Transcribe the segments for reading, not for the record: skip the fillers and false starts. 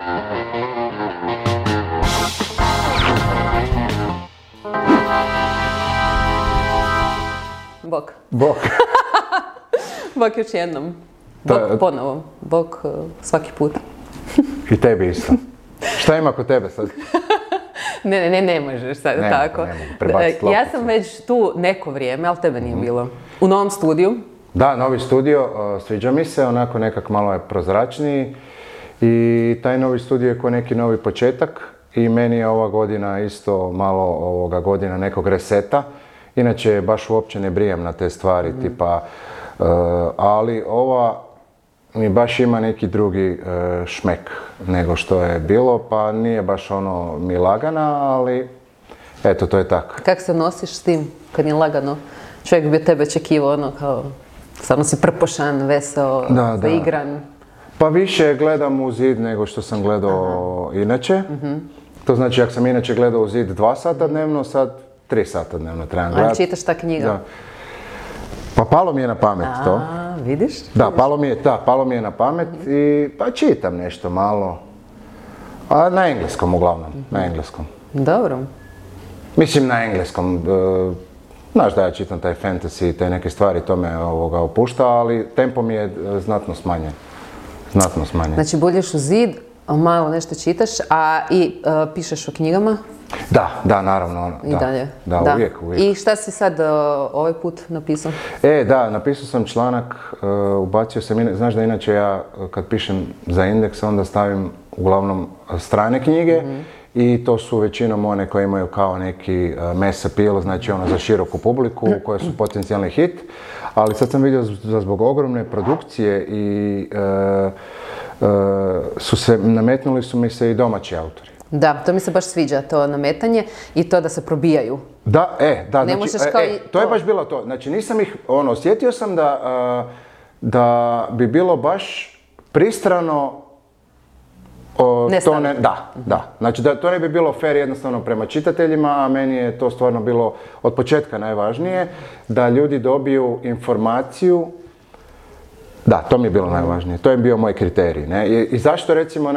Bok. Bok. Bok još jednom. Bok ponovo. Bok svaki put. I tebi isto. Šta ima kod tebe sad? Ne možeš sad tako. Ne mogu prebaciti lopticu. Ja sam već tu neko vrijeme, ali tebe nije bilo. U novom studiju. Da, novi studio, sviđa mi se, onako nekak malo je prozračniji i taj novi studio je ko neki novi početak i meni je ova godina isto malo godina nekog reseta. Inače, baš uopće ne brijem na te stvari, tipa, ali ova mi baš ima neki drugi šmek nego što je bilo, pa nije baš ono mi lagana, ali eto, to je tako. Kako se nosiš s tim kad je lagano? Čovjek bi tebe očekivao ono kao, stvarno si prpošan, veseo, zaigran. Pa više gledam u zid nego što sam gledao inače. To znači, ako sam inače gledao u zid 2 sata dnevno, sad 3 sata dnevno trebam gledati. Ali čitaš ta knjiga? Da. Pa palo mi je na pamet to. Vidiš? Da, palo mi je na pamet i pa čitam nešto malo. A na engleskom uglavnom, na engleskom. Dobro. Mislim na engleskom. Znaš da ja čitam taj fantasy i te neke stvari, to me opušta, ali tempo mi je znatno smanjen. Znatno smanjen. Znači, bulješ u zid, malo nešto čitaš, a i pišeš o knjigama? Da, naravno. I dalje? Da, uvijek. I šta si sad ovaj put napisao? Da, napisao sam članak, ubacio sam, znaš da inače ja kad pišem za Indeks onda stavim uglavnom strane knjige i to su većinom one koje imaju kao neki mass appeal, znači ono za široku publiku koje su potencijalni hit, ali sad sam vidio da zbog ogromne produkcije i nametnuli su mi se i domaći autori. Da, to mi se baš sviđa, to nametanje i to da se probijaju. Da, znači, to je baš bilo to. Znači nisam ih, osjetio sam da bi bilo baš pristrano to ne, da. Znači da to ne bi bilo fair jednostavno prema čitateljima, a meni je to stvarno bilo od početka najvažnije, da ljudi dobiju informaciju. Da, to mi je bilo najvažnije. To je bio moj kriterij. Ne? I zašto recimo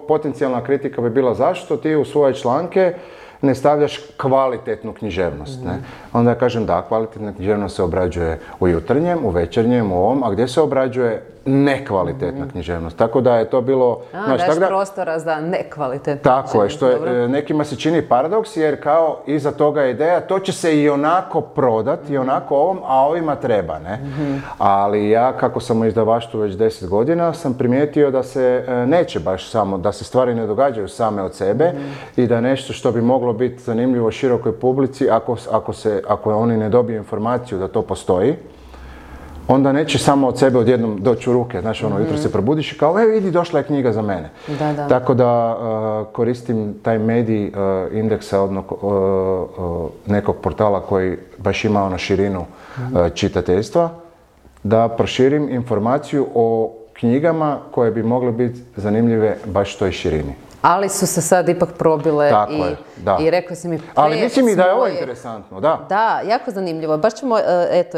potencijalna kritika bi bila zašto ti u svoje članke ne stavljaš kvalitetnu književnost. Ne? Onda ja kažem da, kvalitetna književnost se obrađuje u jutarnjem, u večernjem, u ovom, a gdje se obrađuje nekvalitetna književnost. Tako da je to bilo... Daš prostora za nekvalitetnu Tako je, što je, nekima se čini paradoks jer kao iza toga je ideja, to će se i onako prodati, i onako ovom, a ovima treba. Ne? Ali ja, kako sam u izdavaštvu već 10 godina, sam primijetio da se neće baš samo, da se stvari ne događaju same od sebe i da nešto što bi moglo biti zanimljivo širokoj publici, ako oni ne dobiju informaciju da to postoji, onda neće samo od sebe odjednom doći u ruke. Znaš, jutro se probudiš i kao, vidi, došla je knjiga za mene. Da. Tako da koristim taj medij Indeksa od nekog portala koji baš ima na širinu čitateljstva, da proširim informaciju o knjigama koje bi mogle biti zanimljive baš toj širini. Ali su se sad ipak probile i rekao si mi... Ali mislim i da je ovo interesantno, da. Da, jako zanimljivo. Baš ćemo,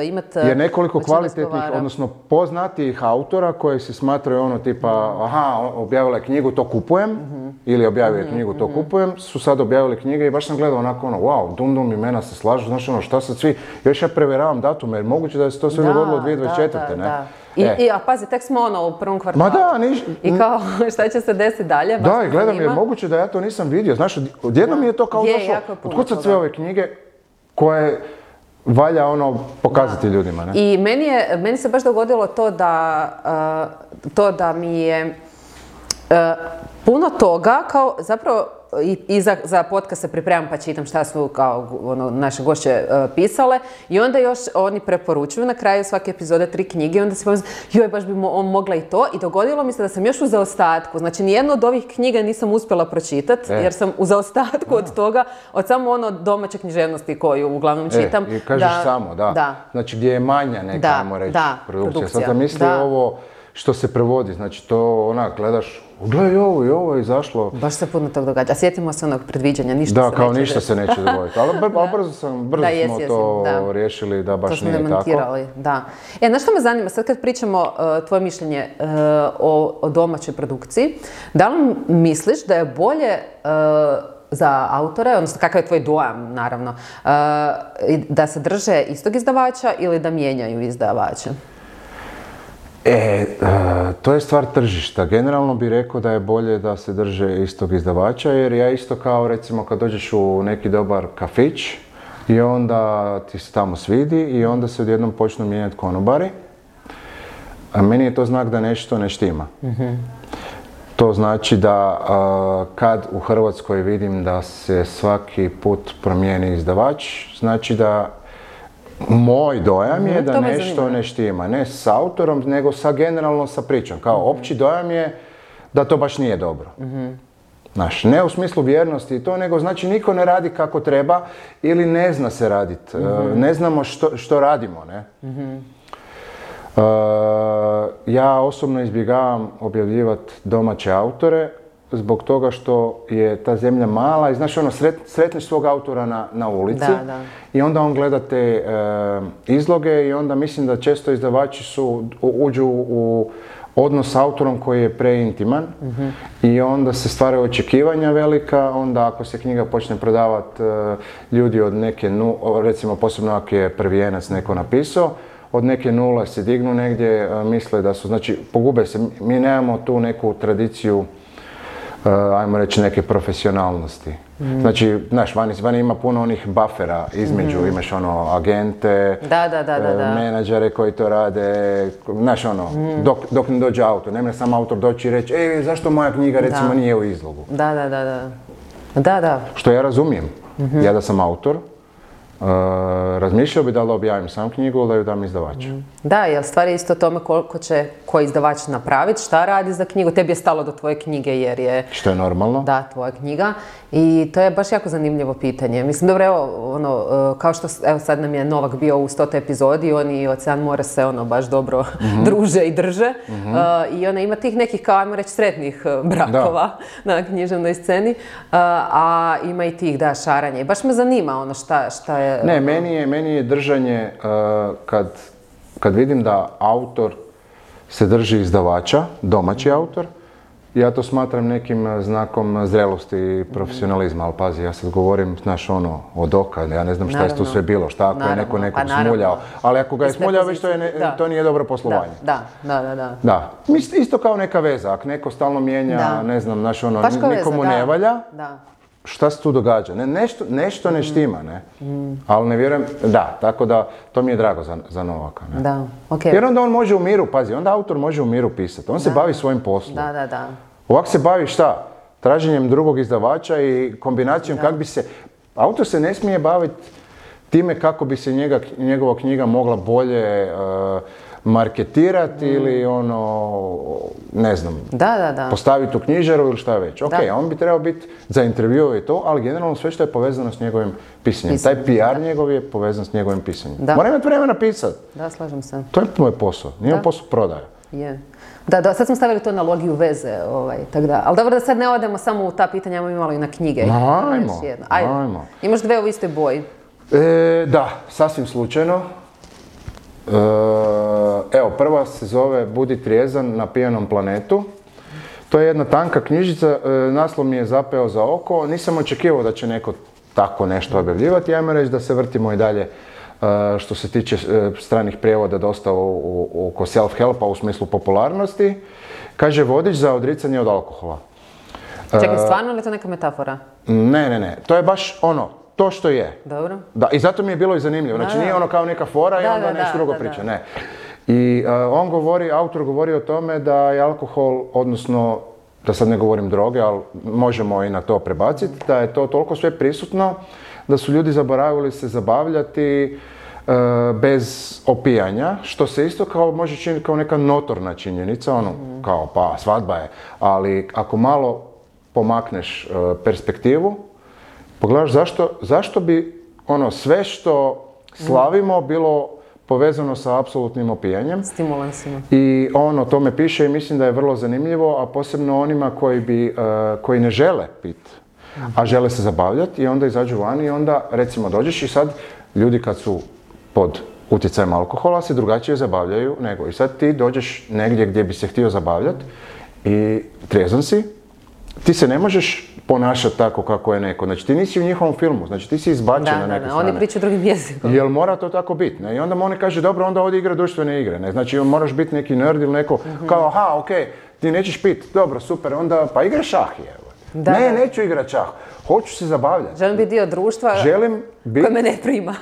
imati... Jer nekoliko kvalitetnih, odnosno poznatijih autora koji se smatraju tipa, objavila je knjigu, to kupujem, ili objavio je knjigu, to kupujem, su sad objavili knjige i baš sam gledao onako wow, dum, imena se slažu, znaš šta sad svi, još ja provjeravam datume, jer moguće da se to sve dogodilo 2024. Ne? A pazi, tek smo u prvom kvartalu. Ma da, I kao, šta će se desiti dalje? Da, i gledam, je moguće da ja to nisam vidio. Znaš, odjednom mi je to kao došlo. Otkud sad sve ove knjige koje valja pokazati ljudima, ne? I meni se baš dogodilo to da mi je puno toga, kao zapravo i za podcast se pripremam pa čitam šta su kao naše gošće pisale i onda još oni preporučuju na kraju svake epizode 3 knjige i onda se pomislim, baš bi mogla i to i dogodilo mi se da sam još u zaostatku, znači nijednu od ovih knjiga nisam uspjela pročitati jer sam u zaostatku od toga, od samo domaće književnosti koju uglavnom čitam. I kažeš samo, da. Znači gdje je manja neka, ajmo reći, produkcija. Sad sam mislio ovo što se prevodi, znači to gledaš, Gledaj ovo je izašlo. Baš se puno tog događa. A sjetimo se onog predviđanja, ništa Da, se kao neće ništa se neće dogoditi. Ali brzo smo to da. riješili da baš to nije demantirali, tako. Da. Znaš što me zanima, sad kad pričamo tvoje mišljenje o domaćoj produkciji, da li misliš da je bolje za autore, odnosno kakav je tvoj dojam, naravno, da se drže istog izdavača ili da mijenjaju izdavača? To je stvar tržišta. Generalno bih rekao da je bolje da se drže istog izdavača, jer ja isto kao recimo kad dođeš u neki dobar kafić i onda ti se tamo svidi i onda se odjednom počnu mijenjati konobari, a meni je to znak da nešto ne štima. To znači da kad u Hrvatskoj vidim da se svaki put promijeni izdavač, znači da moj dojam je da nešto ne štima. Ne s autorom, nego generalno sa pričom. Kao opći dojam je da to baš nije dobro. Znaš, ne u smislu vjernosti i to, nego znači niko ne radi kako treba ili ne zna se raditi. Ne znamo što radimo, ne? Ja osobno izbjegavam objavljivati domaće autore zbog toga što je ta zemlja mala i znaš sretneš svog autora na ulici i onda on gleda te izloge i onda mislim da često izdavači uđu u odnos s autorom koji je preintiman i onda se stvaraju očekivanja velika, onda ako se knjiga počne prodavati ljudi od neke, recimo posebno ako je prvijenac neko napisao, od neke nule se dignu negdje, misle da su, znači pogube se, mi nemamo tu neku tradiciju, ajmo reći neke profesionalnosti. Znači, znaš, vani ima puno onih buffera između, imaš agente, menadžere koji to rade, znaš dok ne dođe autor, ne može sam autor doći i reći, zašto moja knjiga recimo nije u izlogu? Da. Što ja razumijem, ja da sam autor, razmišljao bi da li objavim sam knjigu ili da ju dam izdavaču. Da, jer stvar je isto o tome koliko će koji izdavač napraviti, šta radi za knjigu. Tebi je stalo do tvoje knjige jer je... Što je normalno. Da, tvoja knjiga. I to je baš jako zanimljivo pitanje. Mislim, dobro, evo, kao što, evo sad nam je Novak bio u 100. epizodi, oni i Ocean more se baš dobro druže i drže. I ona ima tih nekih, kao ajmo reći, sretnih brakova na književnoj sceni. A ima i tih, šaranja. I baš me zanima šta je... Ne, meni je držanje kad vidim da autor se drži izdavača, domaći autor, ja to smatram nekim znakom zrelosti i profesionalizma, ali pazi, ja sad govorim, znaš, od oka, ja ne znam šta je tu sve bilo, šta ako je neko nekog smuljao, ali ako ga je smuljao, već to nije dobro poslovanje. Da. Isto kao neka veza, ako neko stalno mijenja, ne znam, znaš, nikomu ne valja, šta se tu događa? Nešto ne štima, ne? Ali ne vjerujem, tako da to mi je drago za Novaka, ne? Da, okej. Jer onda on može u miru, pazi, onda autor može u miru pisati, on se bavi svojim poslom. Da. Ovako se bavi šta? Traženjem drugog izdavača i kombinacijom kako bi se... Autor se ne smije baviti time kako bi se njegova knjiga mogla bolje marketirati ili ne znam, postaviti u knjižaru ili šta već. On bi trebao biti za intervju i to, ali generalno sve što je povezano s njegovim pisanjem. Taj PR njegov je povezan s njegovim pisanjem. Mora imati vremena pisati. Da, slažem se. To je moj posao, nije posao prodaja. Da, sad smo stavili tu analogiju veze, tako da. Ali dobro da sad ne odemo samo u ta pitanja, imamo imalo i na knjige. Ajmo. Imaš dve u istoj boji. Da, sasvim slučajno. Evo, prva se zove Budi trijezan na pijanom planetu. To je jedna tanka knjižica, naslov mi je zapeo za oko. Nisam očekivao da će neko tako nešto objavljivati. Ajmo reći da se vrtimo i dalje što se tiče stranih prijevoda dosta oko self-helpa u smislu popularnosti. Kaže vodič za odricanje od alkohola. Čekaj, stvarno ili je to neka metafora? Ne. To je baš to što je. Dobro. Da, i zato mi je bilo i zanimljivo. Znači nije kao neka fora i onda nešto drugo priča. Ne. I autor govori o tome da je alkohol, odnosno, da sad ne govorim droge, ali možemo i na to prebaciti, da je to toliko sve prisutno da su ljudi zaboravili se zabavljati bez opijanja, što se isto može činiti kao neka notorna činjenica, kao pa svadba je, ali ako malo pomakneš perspektivu, pogledaš zašto bi sve što slavimo bilo povezano sa apsolutnim opijanjem. Stimulansima. I on o tome piše i mislim da je vrlo zanimljivo, a posebno onima koji ne žele piti, a žele se zabavljati i onda izađu van i onda recimo dođeš i sad ljudi kad su pod utjecajem alkohola se drugačije zabavljaju nego. I sad ti dođeš negdje gdje bi se htio zabavljati i trijezan si, ti se ne možeš ponašati tako kako je neko. Znači ti nisi u njihovom filmu, znači ti si izbačen na neke strane. Oni pričaju drugim jezikom. Jel mora to tako biti? Ne? I onda oni kaže, dobro, onda ovdje igra društvene igre. Ne? Znači moraš biti neki nerd ili neko kao, aha, okej, ti nećeš piti, dobro, super, onda pa igra šah je. Ne, neću igrati šah, hoću se zabavljati. Želim biti dio društva koje me ne prima.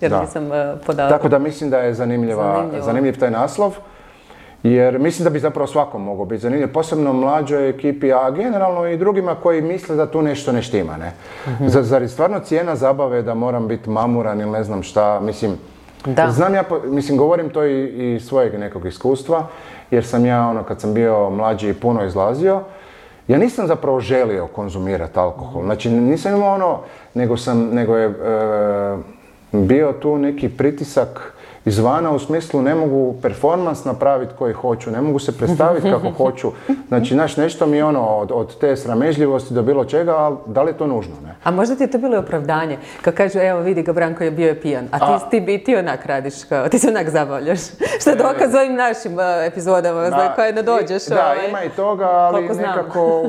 Jer nisam podala. Tako da mislim da je zanimljiv taj naslov. Jer mislim da bi zapravo svakom mogao biti zanimljiv, posebno mlađoj ekipi, a generalno i drugima koji misle da tu nešto ne štima, ne? Zar je stvarno cijena zabave da moram biti mamuran ili ne znam šta, mislim, znam ja, govorim to i iz svojeg nekog iskustva, jer sam ja, kad sam bio mlađi i puno izlazio, ja nisam zapravo želio konzumirati alkohol, znači nisam imao nego je bio tu neki pritisak izvana u smislu ne mogu performans napraviti koji hoću, ne mogu se predstaviti kako hoću. Znači, nešto mi je od te sramežljivosti do bilo čega, ali da li je to nužno, ne? A možda ti je to bilo opravdanje? Kad kažu, evo vidi ga Branko je bio pijan, a ti onak radiš, kao, ti se onak zabavljaš. Što je dokaz ovim našim epizodama, za koje ne dođeš. Da, ima i toga, ali nekako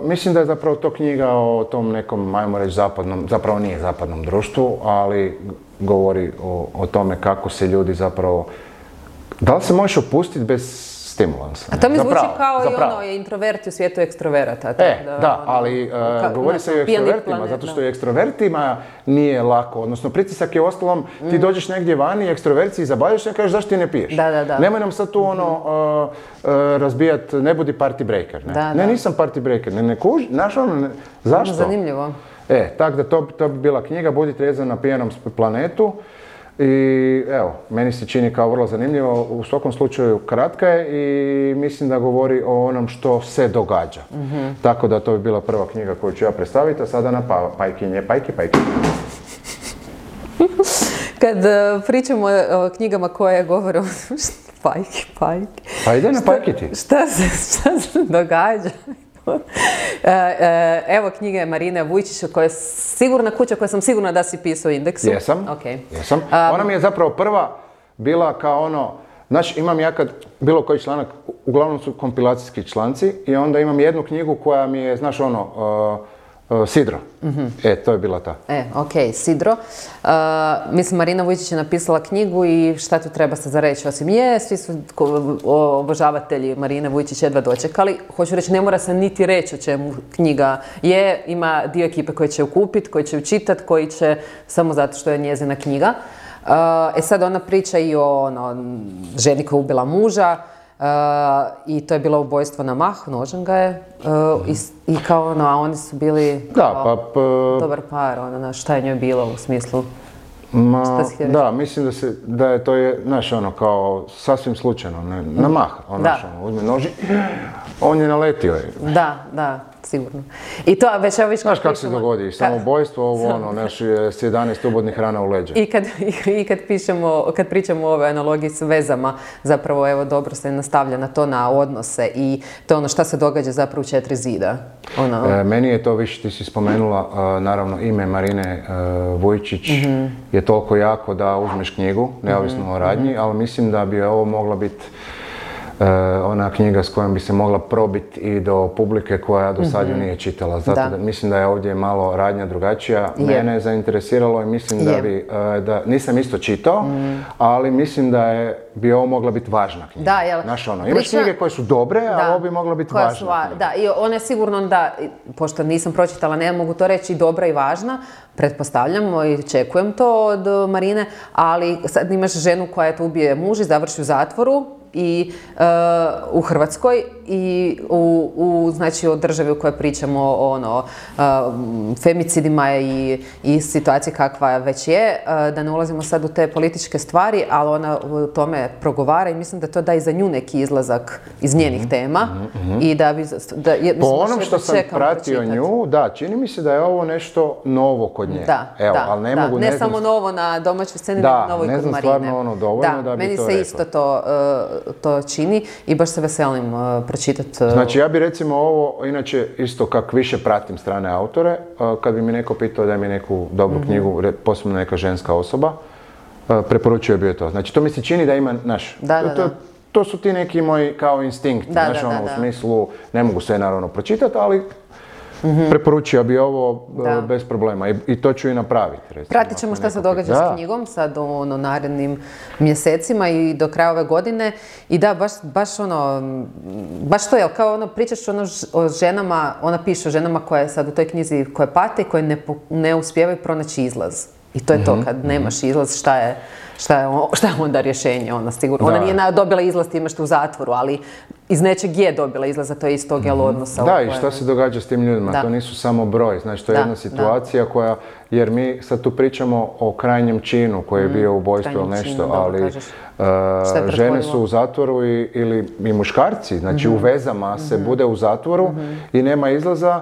mislim da je zapravo to knjiga o tom nekom, ajmo reći, zapravo nije zapadnom društvu, ali govori o tome kako se ljudi zapravo, da li se možeš opustiti bez stimulansa? A to mi zvuči kao i introverti u svijetu ekstroverata. Ali govori se i o ekstrovertima, zato što i ekstrovertima nije lako, odnosno pritisak je ostalom, ti dođeš negdje vani, ekstroverci i zabavljaš se i kažeš zašto ti ne piješ? Nemoj nam sad tu razbijat, ne budi party breaker. Ne, nisam party breaker, ne kuži, zašto? Zanimljivo. Tako da to bi bila knjiga, Budi trijezan na pijanom planetu. I evo, meni se čini kao vrlo zanimljivo, u svakom slučaju kratka je i mislim da govori o onom što se događa. Tako da to bi bila prva knjiga koju ću ja predstaviti, a sada na pajkinje, pajki. Kad pričamo o knjigama koje govore o pajki. Pa ide na pajki ti. Šta se događa? Evo knjige Marine Vujčić, koja je sigurna kuća, koja sam sigurna da si pisao u Indeksu. Jesam. Ona mi je zapravo prva bila kao znaš, imam ja kad bilo koji članak, uglavnom su kompilacijski članci i onda imam jednu knjigu koja mi je, znaš Sidro. To je bila ta. Sidro. Mislim, Marina Vujčić je napisala knjigu i šta tu treba se za reći? Osim svi su obožavatelji Marine Vujčić jedva dočekali. Hoću reći, ne mora se niti reći o čemu knjiga je. Ima dio ekipe koji će ju kupiti, koji će ju čitati, koji će samo zato što je njezina knjiga. Sad ona priča i o ženi koja je ubila muža. I to je bilo ubojstvo na mah, nožem ga je i kao a oni su bili dobar par, šta je njoj bilo u smislu? Mislim da je to znaš kao sasvim slučajno, na mah, uzme noži, on je naletio. Da, sigurno. I to već evo viš znaš kako se dogodi, samoubojstvo, s 11 ubodnih rana u leđa. I kad pričamo o ovoj analogiji s vezama, zapravo evo dobro se nastavlja na to, na odnose i to šta se događa zapravo u 4 zida. Meni je to više, ti si spomenula, naravno ime Marine Vujčić je toliko jako da uzmeš knjigu, neovisno o radnji, ali mislim da bi ovo mogla biti ona knjiga s kojom bi se mogla probiti i do publike koja do sad ju nije čitala. Zato da mislim da je ovdje malo radnja drugačija. Mene je zainteresiralo i mislim da nisam isto čitao, ali mislim da bi ovo mogla biti važna knjiga. Imaš knjige koje su dobre, a ovo bi mogla biti važna knjiga. Da, i ona je sigurno da, pošto nisam pročitala, ne mogu to reći, dobra i važna, pretpostavljam i očekujem to od Marine, ali sad imaš ženu koja ubije muž i završi u zatvoru i u Hrvatskoj i znači o državi u kojoj pričamo o femicidima i situaciji kakva već je, da ne ulazimo sad u te političke stvari, ali ona u tome progovara i mislim da to da i za nju neki izlazak iz njenih tema i da bi... Po onom što sam pratio nju, da, čini mi se da je ovo nešto novo kod nje. Ali ne mogu, ne samo novo na domaćoj sceni, nego novo i kod Marine. Da, ne znam stvarno ono dovoljno da bi to rekao. Meni se isto to čini i baš se veselim pročitati. Znači ja bi recimo ovo, inače isto kak više pratim strane autore, kad bi mi neko pitao da mi neku dobru knjigu, posebno neka ženska osoba, preporučio bi je to. Znači to mi se čini da ima, to su ti neki moji kao instinkti, u smislu, ne mogu sve naravno pročitati, ali preporučio bi ovo bez problema i to ću i napraviti. Recimo, pratit ćemo šta se događa s knjigom sad u narednim mjesecima i do kraja ove godine. I da, baš to je, kao pričaš o ženama, ona piše o ženama koje sad u toj knjizi koje pate i koje ne uspijevaju pronaći izlaz. I to je to, kad nemaš izlaz, šta je onda rješenje? Ona sigurno. Ona nije dobila izlaz time što u zatvoru, ali iz nečeg je dobila izlaz, a to je iz tog odnosa. Da, i šta se događa s tim ljudima? To nisu samo broj, znači to je jedna situacija koja, jer mi sad tu pričamo o krajnjem činu koji je bio ubojstvo ili nešto, ali žene su u zatvoru ili muškarci, znači u vezama se bude u zatvoru i nema izlaza.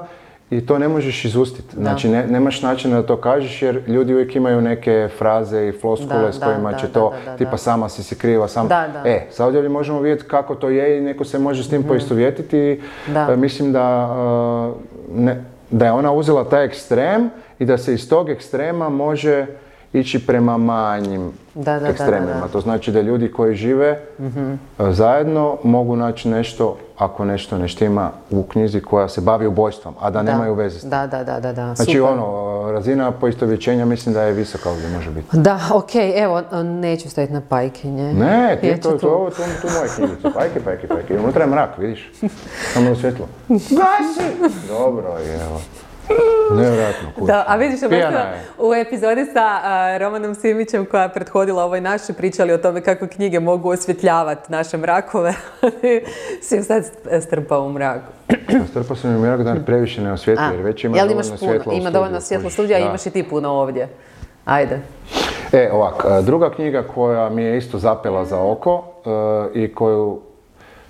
I to ne možeš izustiti. Znači, nemaš načina da to kažeš jer ljudi uvijek imaju neke fraze i floskule s kojima će to, tipa sama si kriva, sam... Sad ovdje možemo vidjeti kako to je i neko se može s tim poistovjetiti. Mislim da je ona uzela taj ekstrem i da se iz tog ekstrema može ići prema manjim ekstremima. To znači da ljudi koji žive zajedno mogu naći nešto, ako nešto ne štima u knjizi koja se bavi ubojstvom, a da nemaju veze s tim. Da. Znači razina poistovjećenja mislim da je visoka ovdje može biti. Da, okej, evo, neću staviti na pajkinje. Ne, tu moje knjigice, pajke. Unutra je mrak, vidiš? Samo je svjetlo. Gasi! Dobro, evo. Nevjerojatno, kuća. Da, a vidiš, u epizodi sa Romanom Simićem koja je prethodila ovoj našoj pričali o tome kako knjige mogu osvjetljavati naše mrakove. Si sad strpao u mraku. Strpao sam u mrak da me previše ne osvjetli, jer već ima dovoljno svjetlo u studiju. Ima dovoljno svjetlo u studiju, a imaš i ti puno ovdje. Ajde. Ovak, druga knjiga koja mi je isto zapela za oko i koju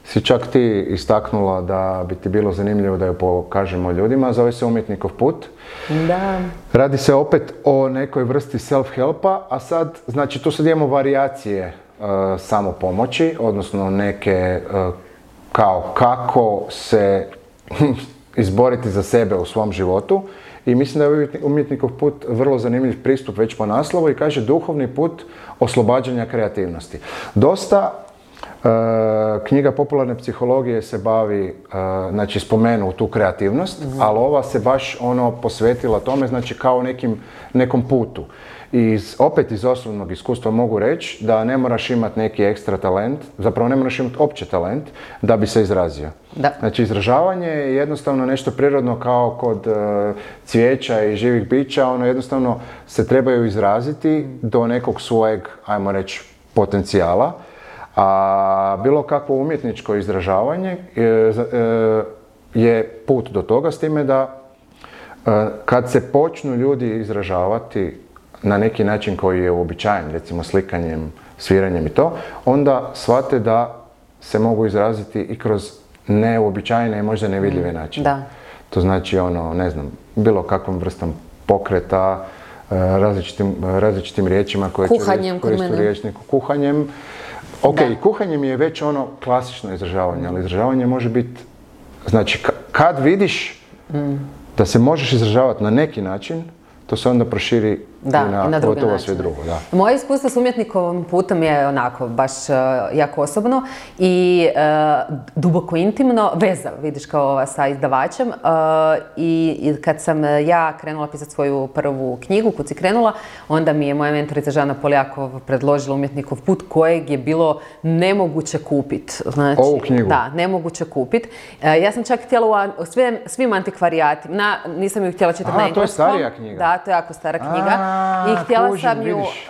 si čak ti istaknula da bi ti bilo zanimljivo da ju pokažemo ljudima, zove se Umjetnikov put. Da. Radi se opet o nekoj vrsti self-helpa, a sad, znači tu sad imamo varijacije samopomoći, odnosno neke kao kako se izboriti za sebe u svom životu. I mislim da je Umjetnikov put vrlo zanimljiv pristup već po naslovu i kaže duhovni put oslobađanja kreativnosti. Dosta knjiga popularne psihologije se bavi, znači spomenu tu kreativnost, ali ova se baš posvetila tome, znači kao nekom putu. I opet iz osobnog iskustva mogu reći da ne moraš imati neki ekstra talent, zapravo ne moraš imati opće talent da bi se izrazio. Da. Znači izražavanje je jednostavno nešto prirodno kao kod cvijeća i živih bića, jednostavno se trebaju izraziti do nekog svojeg, ajmo reći, potencijala. A bilo kakvo umjetničko izražavanje je put do toga, s time da kad se počnu ljudi izražavati na neki način koji je uobičajen, recimo slikanjem, sviranjem i to, onda shvate da se mogu izraziti i kroz neuobičajene i možda nevidljive načine. Da. To znači ne znam, bilo kakvom vrstom pokreta, različitim riječima koje će koristiti u riječniku, kuhanjem. Kuhanje mi je već klasično izražavanje, ali izražavanje može biti, znači kad vidiš da se možeš izražavati na neki način, to se onda proširi i na gotovo sve drugo. Da. Moje iskustvo s Umjetnikovim putom je onako baš jako osobno i duboko intimno, veza, vidiš kao sa izdavačem. I kad sam ja krenula pisati svoju prvu knjigu, Kud si krenula, onda mi je moja mentorica Žana Poljakov predložila Umjetnikov put kojeg je bilo nemoguće kupiti. Znači, ovu knjigu? Da, nemoguće kupiti. Ja sam čak htjela u svim antikvarijatima, nisam ju htjela čitati na engleskom. To je starija knjiga? Da, to je jako stara knjiga. i htjela kužim, sam ju vidiš.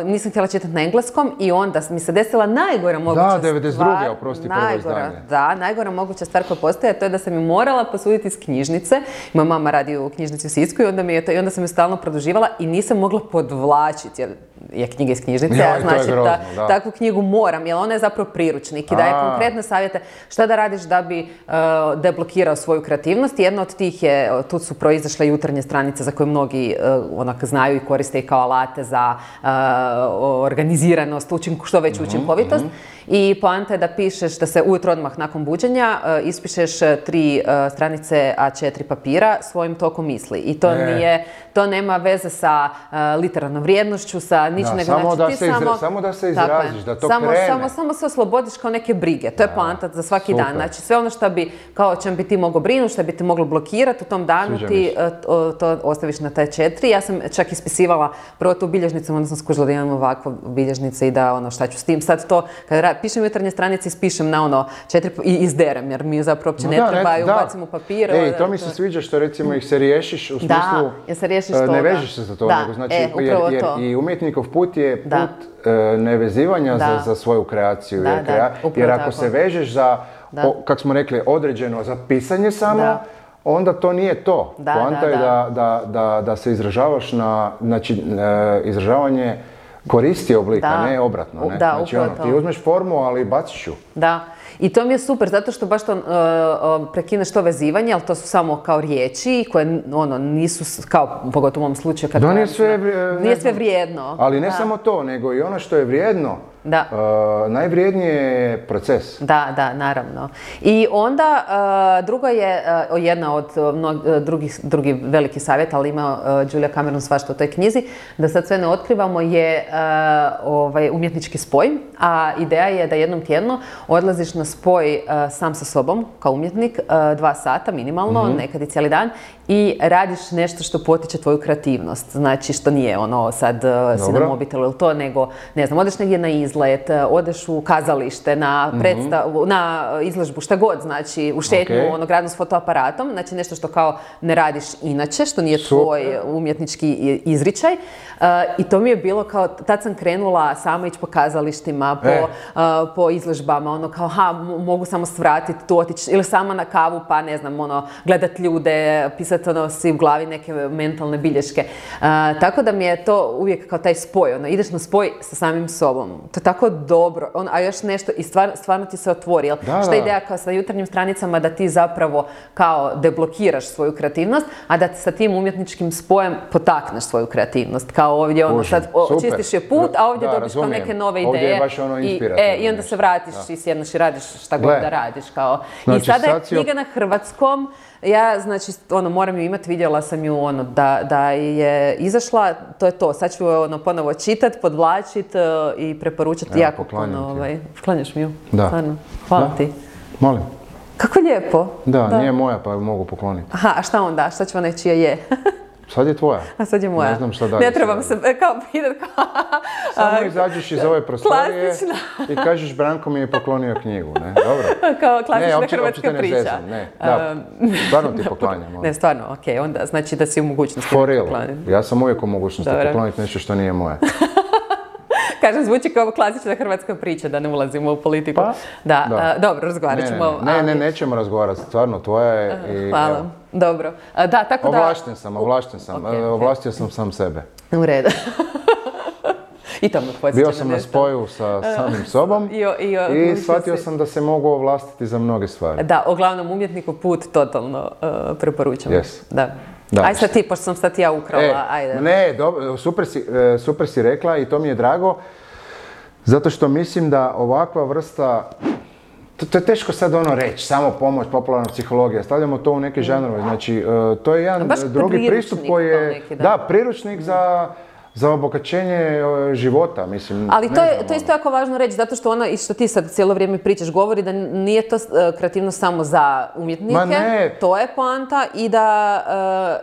nisam htjela čitati na engleskom i onda mi se desila najgora moguća Da, 92. stvar. oprosti, prvo Najgora, izdanje. da, najgora moguća stvar koja postoji, a to je da sam ju morala posuditi iz knjižnice. Moja mama radi u knjižnici u Sisku i onda sam ju stalno produživala i nisam mogla podvlačiti, jer je knjiga iz knjižnice, Joj, a to je znači grozno, da. takvu knjigu moram, jer ona je zapravo priručnik i daje konkretne savjete šta da radiš da bi deblokirao svoju kreativnost. Jedna od tih je, tu su proizašle jutarnje stranice za koje mnogi onak znaju i koriste i kao alate za organiziranost, što veću učinkovitost. I poanta je da pišeš, da se ujutro odmah nakon buđenja ispišeš 3 stranice A4 papira svojim tokom misli. I to nema veze sa literarnom vrijednošću, sa ničim, nego samo da se izraziš, da to krene. Samo se oslobodiš kao neke brige. To je poanta za svaki dan. Znači sve ono što bi, kao čem bi ti mogao brinuti, što bi te moglo blokirati u tom danu, ti to ostaviš na taj 4. Ja sam čak ispisivala prvo tu bilježnicu, onda sam skužila da imam ovakve bilježnice i da šta ću s tim. Sad to, kada pišem jutarnje stranice, ispišem na 4 i izderem, jer mi zapravo uopće ne trebaju, bacim u papir. To mi se sviđa što recimo ih se riješiš u smislu, ne vežeš se za to, nego znači, jer i umjetnikov put je put nevezivanja za svoju kreaciju. Jer ako se vežeš za, kako smo rekli, određeno za pisanje samo, onda to nije to. Poanta je da se izražavaš znači, izražavanje koristi oblika, ne obratno. Ne? Znači, ti uzmeš formu, ali baciš ju. Da. I to mi je super, zato što baš to prekineš to vezivanje, ali to su samo kao riječi koje nisu, kao pogotovo u mom slučaju, kad nije sve vrijedno. Ali ne samo to, nego i ono što je vrijedno. Najvrijednije je proces. Da, naravno. I onda drugo je, jedna od drugih velikih savjeta, ali ima Julia Cameron svašta u toj knjizi, da sad sve ne otkrivamo, je umjetnički spoj. A ideja je da jednom tjedno odlaziš na spoj sam sa sobom, kao umjetnik, 2 sata minimalno, nekad i cijeli dan, i radiš nešto što potiče tvoju kreativnost. Znači, što nije sad si na mobitelu ili to, nego, ne znam, odeš negdje na izlet, odeš u kazalište, na predstavu, na izložbu, šta god, znači, u šetnju, gradnu s fotoaparatom, znači nešto što kao ne radiš inače, što nije tvoj umjetnički izričaj. I to mi je bilo kao, tad sam krenula sama ići po kazalištima, po izložbama, kao, mogu samo svratiti tu, otići, ili sama na kavu, pa ne znam, gledat ljude, pisati si u glavi neke mentalne bilješke. Tako da mi je to uvijek kao taj spoj, ideš na spoj sa samim sobom. To je tako dobro, a još nešto i stvarno ti se otvori. Šta je ideja kao sa jutarnjim stranicama, da ti zapravo kao deblokiraš svoju kreativnost, a da sa tim umjetničkim spojem potakneš svoju kreativnost. Kao ovdje sad čistiš je put, a ovdje dobiš kao neke nove ideje. Ovdje je baš inspirativno. I onda se vratiš i sjedneš i radiš šta god da radiš. I sada je knjiga na hrvatskom. Ja, znači, moram ju imati, vidjela sam ju, da je izašla, to je to. Sad ću ponovo čitati, podvlačiti i preporučati jako puno. Klanjaš mi ju? Da. Hvala ti. Molim. Kako lijepo. Da, nije moja, pa ju mogu pokloniti. Aha, a šta onda? Šta ću čija je? Sad je tvoja. A sad je moja. Ne znam šta dalje. Ne trebam se kao pitat kao... Samo izađeš iz ove prostorije i kažeš Branko mi je poklonio knjigu, ne? Dobro. Kao klasična hrvatska priča. Ne, da. Stvarno ti poklanjam. Ne, stvarno, okej. Onda znači da si u mogućnosti pokloniti. Ja sam uvijek u mogućnosti pokloniti nešto što nije moje. Kažem, zvuči kao klasična hrvatska priča, da ne ulazimo u politiku. Dobro, razgovarat ćemo. Ne, nećemo razgovarati, stvarno, tvoja je i... Hvala, dobro. Da, tako da... Ovlašten sam. Ovlastio sam sam sebe. U redu. I to me podsjeća. Bio sam na spoju sa samim sobom i shvatio sam da se mogu ovlastiti za mnoge stvari. Da, o glavnom umjetniku put totalno preporučam. Da. Aj sad ti, pošto sam sad ja ukrala, ajde. Ne, super si rekla i to mi je drago, zato što mislim da ovakva vrsta, to je teško sad reći, samo pomoć, popularna psihologija, stavljamo to u neke žanrove, znači to je jedan drugi pristup koji je, priručnik za obogaćenje života, mislim. Ali to je isto jako važno reći, zato što i što ti sad cijelo vrijeme pričaš, govori da nije to kreativnost samo za umjetnike, to je poanta,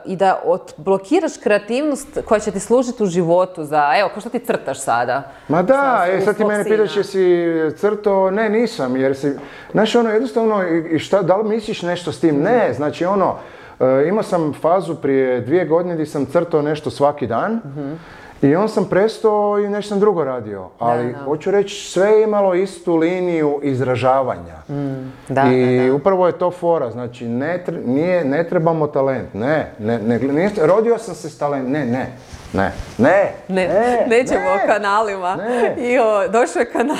i da odblokiraš kreativnost koja će ti služiti u životu za, evo, ko što ti crtaš sada? Ma da, sad ti mene pitaš jesi crtao, ne, nisam, jer si, znaš, jednostavno, da li misliš nešto s tim? Ne, znači, Imao sam fazu prije 2 godine gdje sam crtao nešto svaki dan. I on sam prestao i nešto sam drugo radio, ali hoću reći sve je imalo istu liniju izražavanja. I upravo je to fora, znači ne trebamo talent, rodio sam se s talent, nećemo o kanalima. Došao je kanal,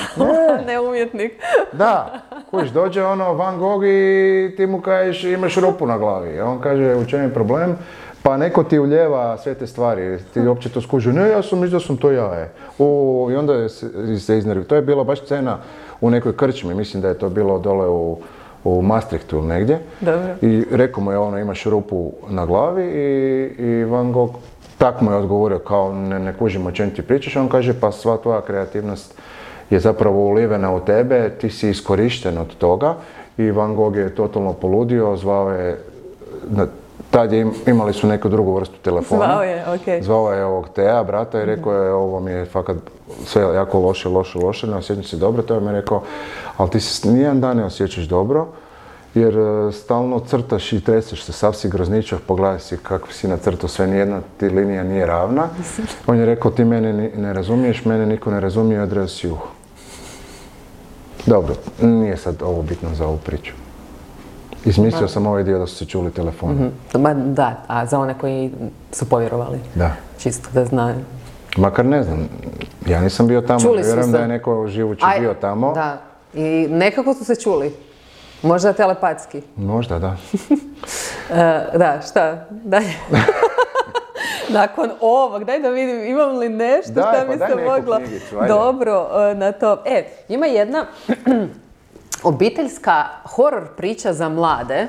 ne umjetnik. Da, kužiš, dođe Van Gogh i ti mu kažeš imaš rupu na glavi. On kaže u čem je problem? Pa neko ti uljeva sve te stvari, ti uopće to skuži, ne, ja sam mislio da sam to ja, I onda se iznervi. To je bila baš scena u nekoj krčmi, mislim da je to bilo dole u Maastrichtu ili negdje. Dobro. I rekao mu je imaš rupu na glavi i Van Gogh tak mu je odgovorio kao ne kužim o čem ti pričaš. On kaže pa sva tvoja kreativnost je zapravo ulivena u tebe, ti si iskorišten od toga i Van Gogh je totalno poludio, zvao je tad imali su neku drugu vrstu telefona. Zvao je ovog Teja, brata, i rekao je ovo mi je fakat sve jako loše, ne osjećam se dobro. To je mi rekao, ali ti se nijedan dan ne osjećaš dobro, jer stalno crtaš i treseš se, sav si grozničav, pogledaj si kako si nacrtao sve, nijedna ti linija nije ravna. On je rekao, ti mene ne razumiješ, mene niko ne razumije, odreo si uho. Dobro, nije sad ovo bitno za ovu priču. Izmislio sam ovaj dio da su se čuli telefoni. Da, a za one koji su povjerovali? Da. Čisto da znaju. Makar ne znam, ja nisam bio tamo, vjerujem da je neko živući bio tamo. Da, i nekako su se čuli. Možda telepatski. Možda, da. Da, šta? Dalje. Nakon ovog, daj da vidim imam li nešto šta mi se moglo dobro na to. Ima jedna obiteljska horor priča za mlade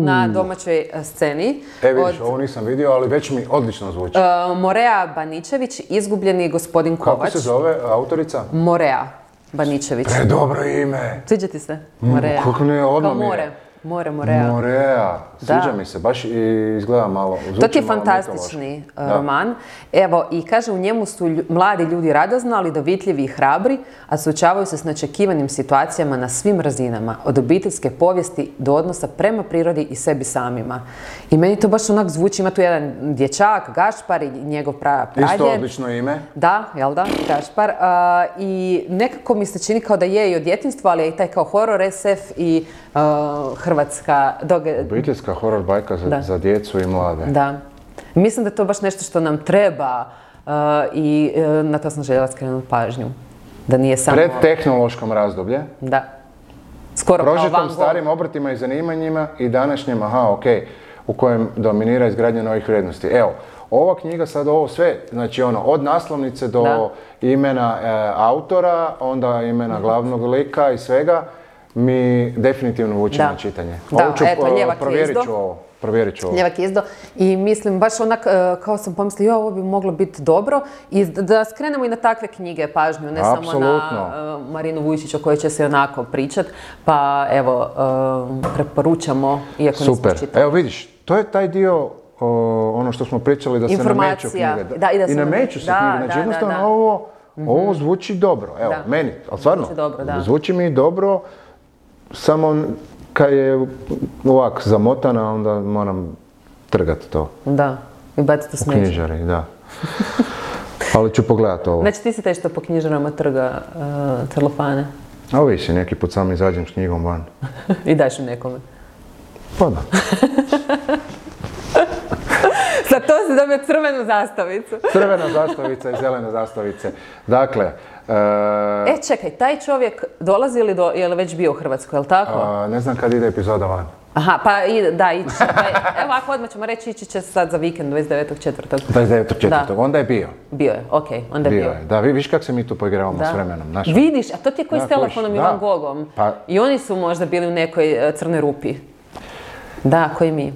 na domaćoj sceni. Vidiš, ovo nisam vidio, ali već mi odlično zvuči. Morea Baničević, izgubljeni gospodin Kovač. Kako se zove autorica? Morea Baničević. Predobro ime. Sviđa ti se? Morea. Kako ne, odmah mi je. Morea. Morea, sviđa mi se, baš izgleda malo, zvuči malo mitološki. To ti je fantastični roman. Evo, i kaže, u njemu su mladi ljudi radoznali, dovitljivi i hrabri, a suočavaju se s neočekivanim situacijama na svim razinama, od obiteljske povijesti do odnosa prema prirodi i sebi samima. I meni to baš onak zvuči, ima tu jedan dječak, Gašpar i njegov pradjed. Isto odlično ime. Da, jel da, Gašpar. I nekako mi se čini kao da je i od djetinjstva, ali je i taj kao horor SF i hrvatska obiteljska horor bajka za djecu i mlade. Da. Mislim da je to baš nešto što nam treba i na to sam željela skrenuti pažnju. Da nije samo... Pred tehnološkom razdoblje. Da. Skoro kao Van Gogh. Prožetom starim obrtima i zanimanjima i današnjem, u kojem dominira izgradnja novih vrijednosti. Evo, ova knjiga sad ovo sve, znači od naslovnice do imena autora, onda imena glavnog lika i svega, mi definitivno vuči na čitanje. Provjerit ću ovo. Ljevak izdo. I mislim, baš onak, kao sam pomislila, ovo bi moglo biti dobro. I da skrenemo i na takve knjige pažnju, ne samo na Marinu Vujčić o kojoj će se onako pričat. Pa evo, preporučamo, iako nismo čitali. Super. Evo vidiš, to je taj dio, ono što smo pričali, da se nameću knjige. I nameću se knjige. Znači jednostavno ovo zvuči dobro. Evo, meni, ali stvarno, zvuči mi dobro. Samo kad je ovak zamotana, onda moram trgati to. Da, i baciti u smeće. U knjižari, da. Ali ću pogledati ovo. Znači ti si taj što po knjižarama trga celofane? A ovisi, neki put sam izađem s knjigom van. I daš im nekome? Pa da. Za to si dobio crvenu zastavicu. Crvena zastavica i zelene zastavice. Dakle... čekaj, taj čovjek dolazi ili je li već bio u Hrvatskoj, je li tako? Ne znam kad ide epizoda van. Aha, pa da, ići će. Evo ako odmah ćemo reći, ići će sad za vikend 29.4. 29.4. Onda je bio. Bio je, okej, onda je bio. Da, vidiš kako se mi tu poigravamo s vremenom. Vidiš, a to ti je koji s telefonom i Van Goghom. I oni su možda bili u nekoj crnoj rupi. Da, koji mi.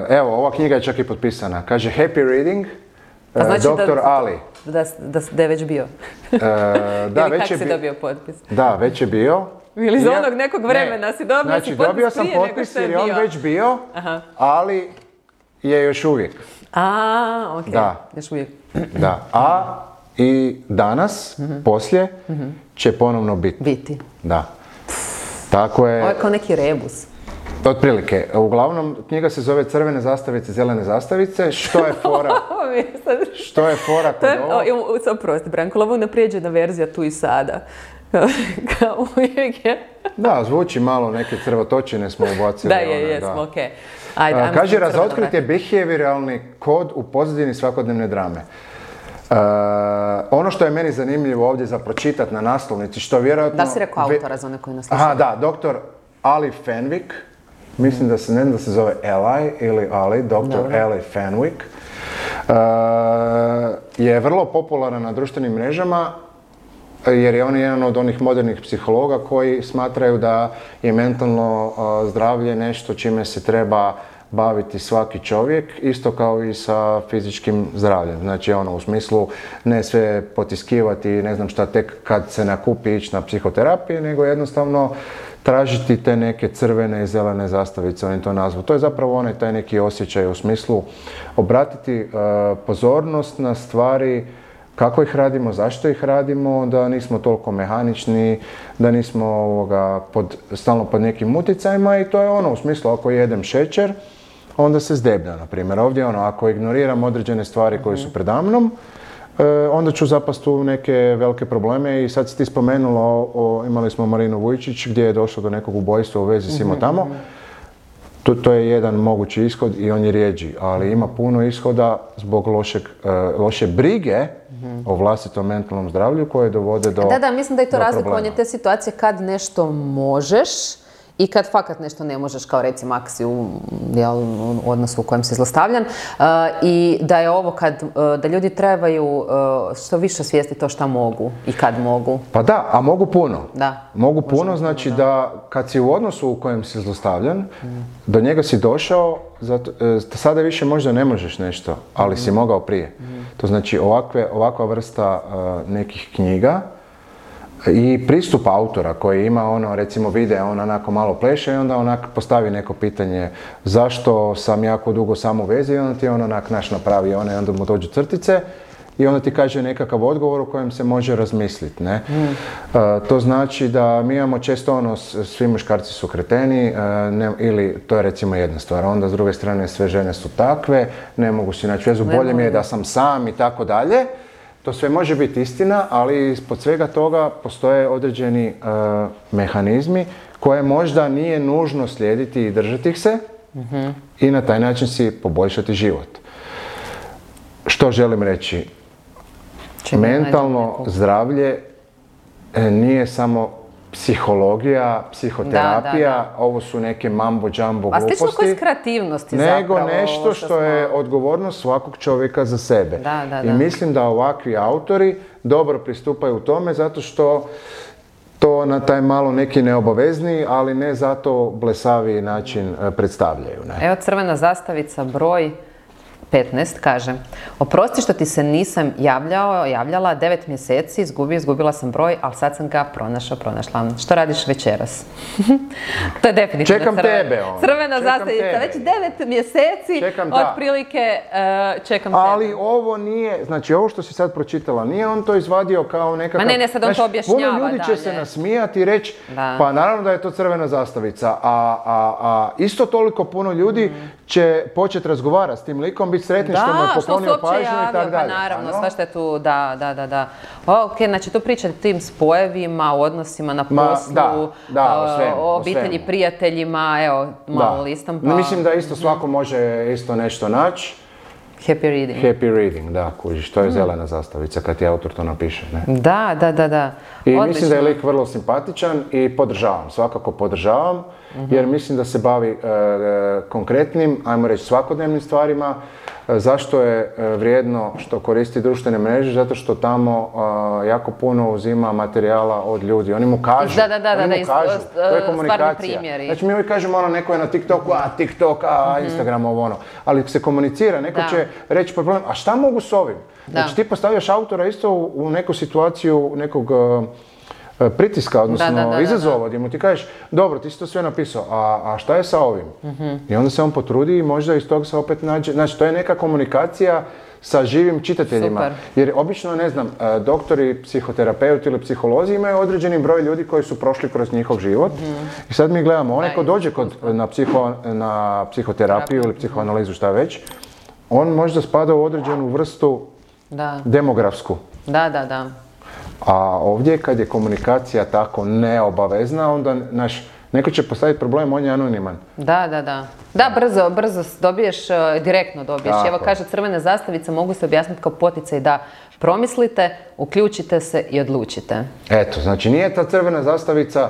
Evo, ova knjiga je čak i potpisana. Kaže Happy Reading, Dr. Ali. Da je već bio. Ili kako si dobio potpis? Da, već je bio. Ili za onog nekog vremena si dobio znači, si potpis dobio sam potpis jer je on već bio, ali je još uvijek. Okej, još uvijek. Da, i danas, poslije, će ponovno biti. Biti. Da. Tako je... Ovo je kao neki rebus. Otprilike. Uglavnom, knjiga se zove Crvene zastavice, zelene zastavice. Što je fora? Što je fora kod ovo? Oprosti, Branko, ovo je naprijeđena verzija tu i sada. Kao uvijek je. Da, zvuči malo, neke crvotočine smo ubacili. Da, jesmo, okej. Ajde, kaže, razotkrit je behavioralni kod u pozadini svakodnevne drame. Ono što je meni zanimljivo ovdje za pročitati na naslovnici, što vjerojatno... Da si rekao autora za one koji nas slušaju. Aha, da, dr. Ali Fenwick, mislim da se ne znam da se zove Eli ili Ali, dr. Ali Fenwick, je vrlo popularan na društvenim mrežama, jer je on jedan od onih modernih psihologa koji smatraju da je mentalno zdravlje nešto čime se treba baviti svaki čovjek, isto kao i sa fizičkim zdravljem. Znači u smislu ne sve potiskivati, ne znam šta, tek kad se nakupi ići na psihoterapiju, nego jednostavno tražiti te neke crvene i zelene zastavice, oni to nazvu. To je zapravo onaj taj neki osjećaj u smislu obratiti pozornost na stvari kako ih radimo, zašto ih radimo, da nismo toliko mehanični, da nismo stalno pod nekim utjecajima i to je u smislu ako jedem šećer, onda se zdeblja, na primjer. Ovdje ako ignoriram određene stvari koje su predamnom, onda ću zapasti u neke velike probleme i sad si ti spomenula, imali smo Marinu Vujčić gdje je došlo do nekog ubojstva u vezi s tamo. To je jedan mogući ishod i on je rijeđi, ali ima puno ishoda zbog loše brige o vlastitom mentalnom zdravlju koje dovode do problema. Da, mislim da je to razlikovanje te situacije kad nešto možeš i kad fakat nešto ne možeš, kao recimo ako si u odnosu u kojem si zlostavljan. I da je ovo da ljudi trebaju što više svijesti to šta mogu i kad mogu. Pa da, a mogu puno. Da. Mogu puno, znači da kad si u odnosu u kojem si zlostavljan, do njega si došao, sada više možda ne možeš nešto, ali si mogao prije. To znači ovakva vrsta nekih knjiga i pristup autora koji ima recimo vide, on onako malo pleše i onda onak postavi neko pitanje zašto sam jako dugo sam u vezi i onda ti on onak napravi onda mu dođu crtice i onda ti kaže nekakav odgovor u kojem se može razmisliti, ne? To znači da mi imamo često svi muškarci su kreteni, ili to je recimo jedna stvar, onda s druge strane sve žene su takve, ne mogu si naći vezu, bolje mi je da sam sam i tako dalje. To sve može biti istina, ali ispod svega toga postoje određeni mehanizmi koje možda nije nužno slijediti i držati ih se i na taj način si poboljšati život. Što želim reći? Mentalno zdravlje nije samo psihologija, psihoterapija, ovo su neke mambo-džambo gluposti. A slično kao iz kreativnosti zapravo. Nego nešto što je odgovornost svakog čovjeka za sebe. I mislim da ovakvi autori dobro pristupaju tome zato što to na taj malo neki neobavezni, ali ne zato blesavi način predstavljaju. Ne? Evo crvena zastavica broj 15 kaže: oprosti što ti se nisam javljala 9 mjeseci, izgubila sam broj, ali sad sam ga pronašla. Što radiš večeras? To je definitivno crvena zastavica. Već 9 mjeseci otprilike čekam tebe. Ali ovo nije, znači ovo što si sad pročitala, nije on to izvadio kao nekakav... Ma ne, sad on to objašnjava dalje. Puno ljudi će se nasmijati i reći, pa naravno da je to crvena zastavica, a isto toliko puno ljudi će početi razgovarati s tim likom, biti sretni što mu je poklonio pažnju i tako dalje. Pa naravno, svašta je tu, da. Ok, znači tu pričate o tim spojevima, o odnosima na poslu, o obitelji, prijateljima, evo, malo listam pa... Mislim da isto svako može isto nešto naći. Happy reading, da, kužiš, to je zelena zastavica kad ti autor to napiše, ne? Da. I mislim da je lik vrlo simpatičan i svakako podržavam, jer mislim da se bavi konkretnim, ajmo reći svakodnevnim stvarima. Zašto je vrijedno što koristi društvene mreže? Zato što tamo jako puno uzima materijala od ljudi. Oni mu kažu, to je komunikacija. Znači mi uvijek kažemo neko je na TikToku, TikTok, Instagram, ali se komunicira, neko će reći problem, a šta mogu s ovim? Znači ti postavljaš autora isto u neku situaciju nekog pritiska, odnosno izazova, gdje mu ti kažeš, dobro, ti si to sve napisao, a šta je sa ovim? I onda se on potrudi i možda iz toga se opet nađe, znači to je neka komunikacija sa živim čitateljima. Super. Jer obično, ne znam, doktori, psihoterapeuti ili psiholozi imaju određeni broj ljudi koji su prošli kroz njihov život. I sad mi gledamo, onaj ko dođe na psihoterapiju ili psihoanalizu, šta već, on možda spada u određenu vrstu demografsku. Da. A ovdje kad je komunikacija tako neobavezna, onda neko će postaviti problem, on je anoniman. Da, brzo dobiješ, direktno dobiješ. Evo kaže, crvene zastavice mogu se objasniti kao poticaj da promislite, uključite se i odlučite. Eto, znači nije ta crvena zastavica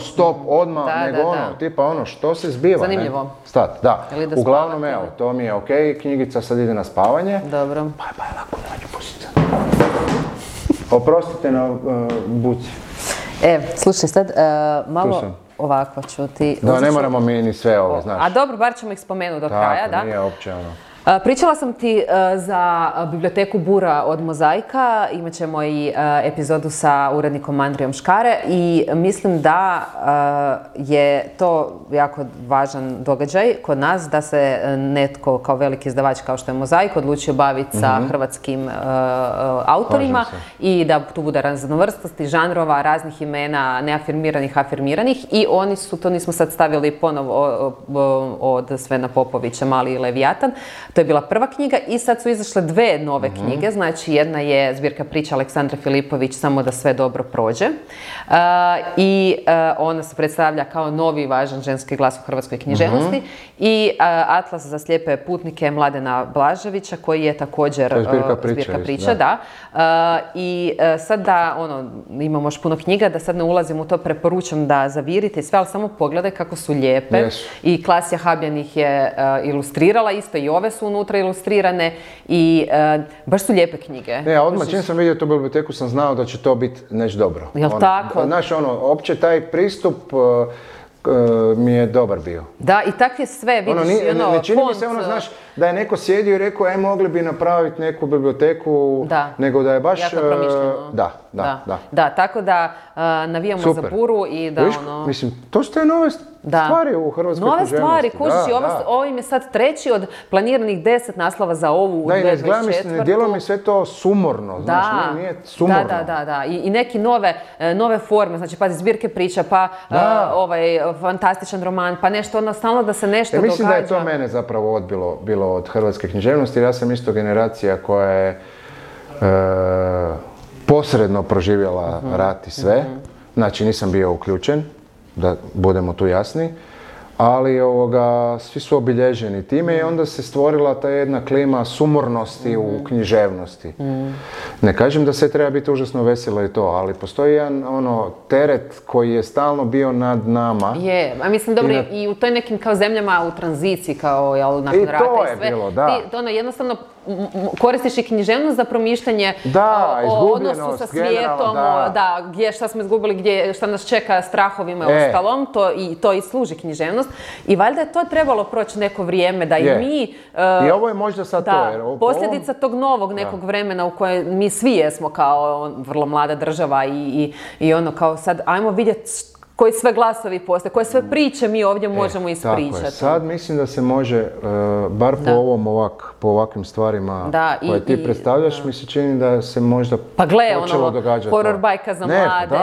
stop odmah, nego tipa što se zbiva. Zanimljivo. Stat, da. Uglavnom, evo, to mi je okej, knjigica sad ide na spavanje. Dobro. Pa je lako, nađu pusica. Oprostite na buci. Slušaj, sad malo ovako ću ti... Da, ne moramo mi ni sve ovo, znaš. A dobro, bar ćemo ih spomenuti do kraja, da? Tako, nije uopće ono. Pričala sam ti za biblioteku Bura od Mozaika, imat ćemo i epizodu sa urednikom Andrijom Škare i mislim da je to jako važan događaj kod nas, da se netko kao veliki izdavač kao što je Mozaik odlučio baviti sa hrvatskim autorima i da tu bude raznovrsnosti žanrova, raznih imena, neafirmiranih, afirmiranih i oni su, to nismo sad stavili ponovo od Svena Popovića, Mali i Levijatan. To je bila prva knjiga i sad su izašle dve nove knjige, znači jedna je zbirka priča Aleksandre Filipović, Samo da sve dobro prođe. I ona se predstavlja kao novi važan ženski glas u hrvatskoj književnosti. I Atlas za slijepe putnike Mladena Blaževića, koji je također zbirka priča, da. I sad da, imamo još puno knjiga, da sad ne ulazim u to, preporučam da zavirite i sve, ali samo pogledaj kako su lijepe. I Klasja Habjan ih je ilustrirala, isto i ove su unutra ilustrirane i baš su lijepe knjige. Ne, odmah čim sam vidio tu biblioteku sam znao da će to biti nešto dobro. Jel' tako? Znaš, opće taj pristup mi je dobar bio. Da, i tak je sve, vidiš, ne čini mi se znaš, da je neko sjedio i rekao, mogli bi napraviti neku biblioteku, nego da je baš... Jako promišljeno. Da, tako da navijamo za Buru i da Mislim, to su te nove stvari u hrvatskoj književnosti. Nove stvari, kužiš, ovo im je sad treći od planiranih 10 naslova za ovu 2024. Ne djeluje mi sve to sumorno, znaš, nije sumorno. Da. I neke nove forme, znači pazi, zbirke priča, pa fantastičan roman, pa nešto, stalno da se nešto događa. Mislim da je to mene zapravo bilo od hrvatske književnosti, jer ja sam isto generacija koja je posredno proživjela rat i sve. Znači nisam bio uključen, da budemo tu jasni, ali svi su obilježeni time i onda se stvorila ta jedna klima sumornosti u književnosti. Ne kažem da sve treba biti užasno veselo i to, ali postoji jedan teret koji je stalno bio nad nama. Je, a mislim dobro i u toj nekim kao zemljama u tranziciji kao nakon rata i sve. Bilo, da. Ti jednostavno koristiš i književnost za promišljanje o odnosu sa svijetom, šta smo izgubili, šta nas čeka, strahovima i ostalom, to i služi književnost. I valjda je to trebalo proći neko vrijeme da i mi... I ovo je možda sad to. Posljedica tog novog nekog vremena u kojem mi svi jesmo kao vrlo mlada država i kao sad ajmo vidjeti koji sve glasovi postoje, koje sve priče mi ovdje možemo ispričati. Tako je. Sad mislim da se može, bar po ovakvim stvarima koje ti predstavljaš, mi se čini da se možda počelo događati. Horror bajka za mlade,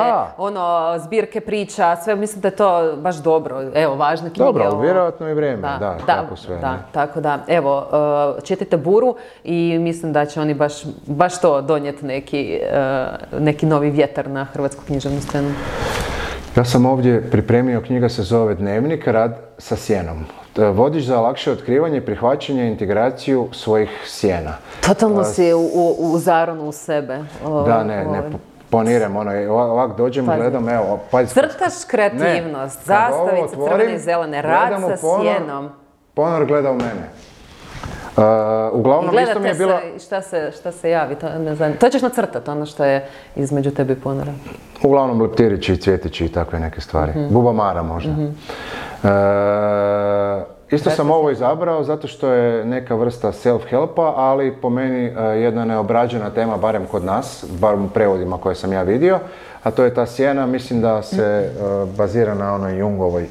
zbirke priča, sve mislim da je to baš dobro. Evo, važne knjige. Dobro, vjerojatno i vrijeme, tako sve. Tako da, evo, čitajte Buru i mislim da će oni baš to donijeti neki novi vjetar na hrvatsku književnu scenu. Ja sam ovdje pripremio, knjiga se zove Dnevnik, rad sa sjenom. Vodič za lakše otkrivanje, prihvaćanje i integraciju svojih sjena. Totalno si u zaronu u sebe. Ne poniram, ovak dođem, gledam, evo, pazi. Crtaš kreativnost, zastavice, crvene i zelene, rad sa sjenom. Ponor gleda u mene. Uglavnom isto mi je bilo... I šta se javi, to ćeš nacrtati, ono što je između tebe i ponora. Uglavnom leptirići, cvjetići i takve neke stvari. Bubamara možda. Isto sam ovo izabrao zato što je neka vrsta self-helpa, ali po meni jedna neobrađena tema, barem kod nas, barem u prevodima koje sam ja vidio, a to je ta sjena. Mislim da se bazira na onoj Jungovoj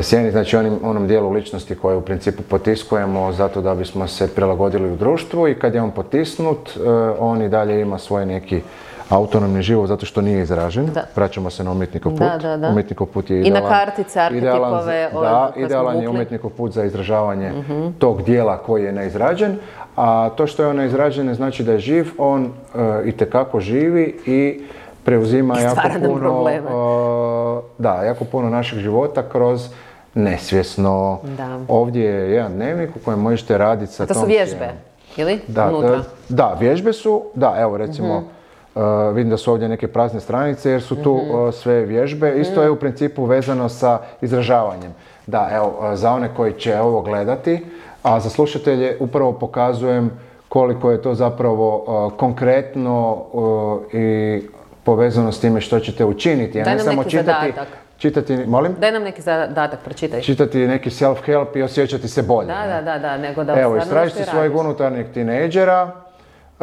sjeni, znači onom dijelu ličnosti koje u principu potiskujemo zato da bismo se prilagodili u društvu, i kad je on potisnut, on i dalje ima svoj neki autonomni život zato što nije izražen. Vraćamo se na umjetnikov put. Umjetnikov put je idealan. I na kartice, arhetipove. Idealan je umjetnikov put za izražavanje tog dijela koji je neizrađen. A to što je on neizrađen ne znači da je živ, on itekako živi i preuzima jako puno našeg života kroz nesvjesno. Ovdje je jedan dnevnik u kojem možete raditi sa tom. To su vježbe, ili? Da, vježbe su, evo recimo, vidim da su ovdje neke prazne stranice jer su tu sve vježbe. Isto je u principu vezano sa izražavanjem. Da, evo, za one koji će ovo gledati, a za slušatelje upravo pokazujem koliko je to zapravo konkretno i povezano s time što ćete učiniti. Daj nam neki zadatak. Molim? Daj nam neki zadatak, pročitaj. Čitati neki self-help i osjećati se bolje. Da, nego da... Evo, istražite svojeg unutarnjeg tinejdžera,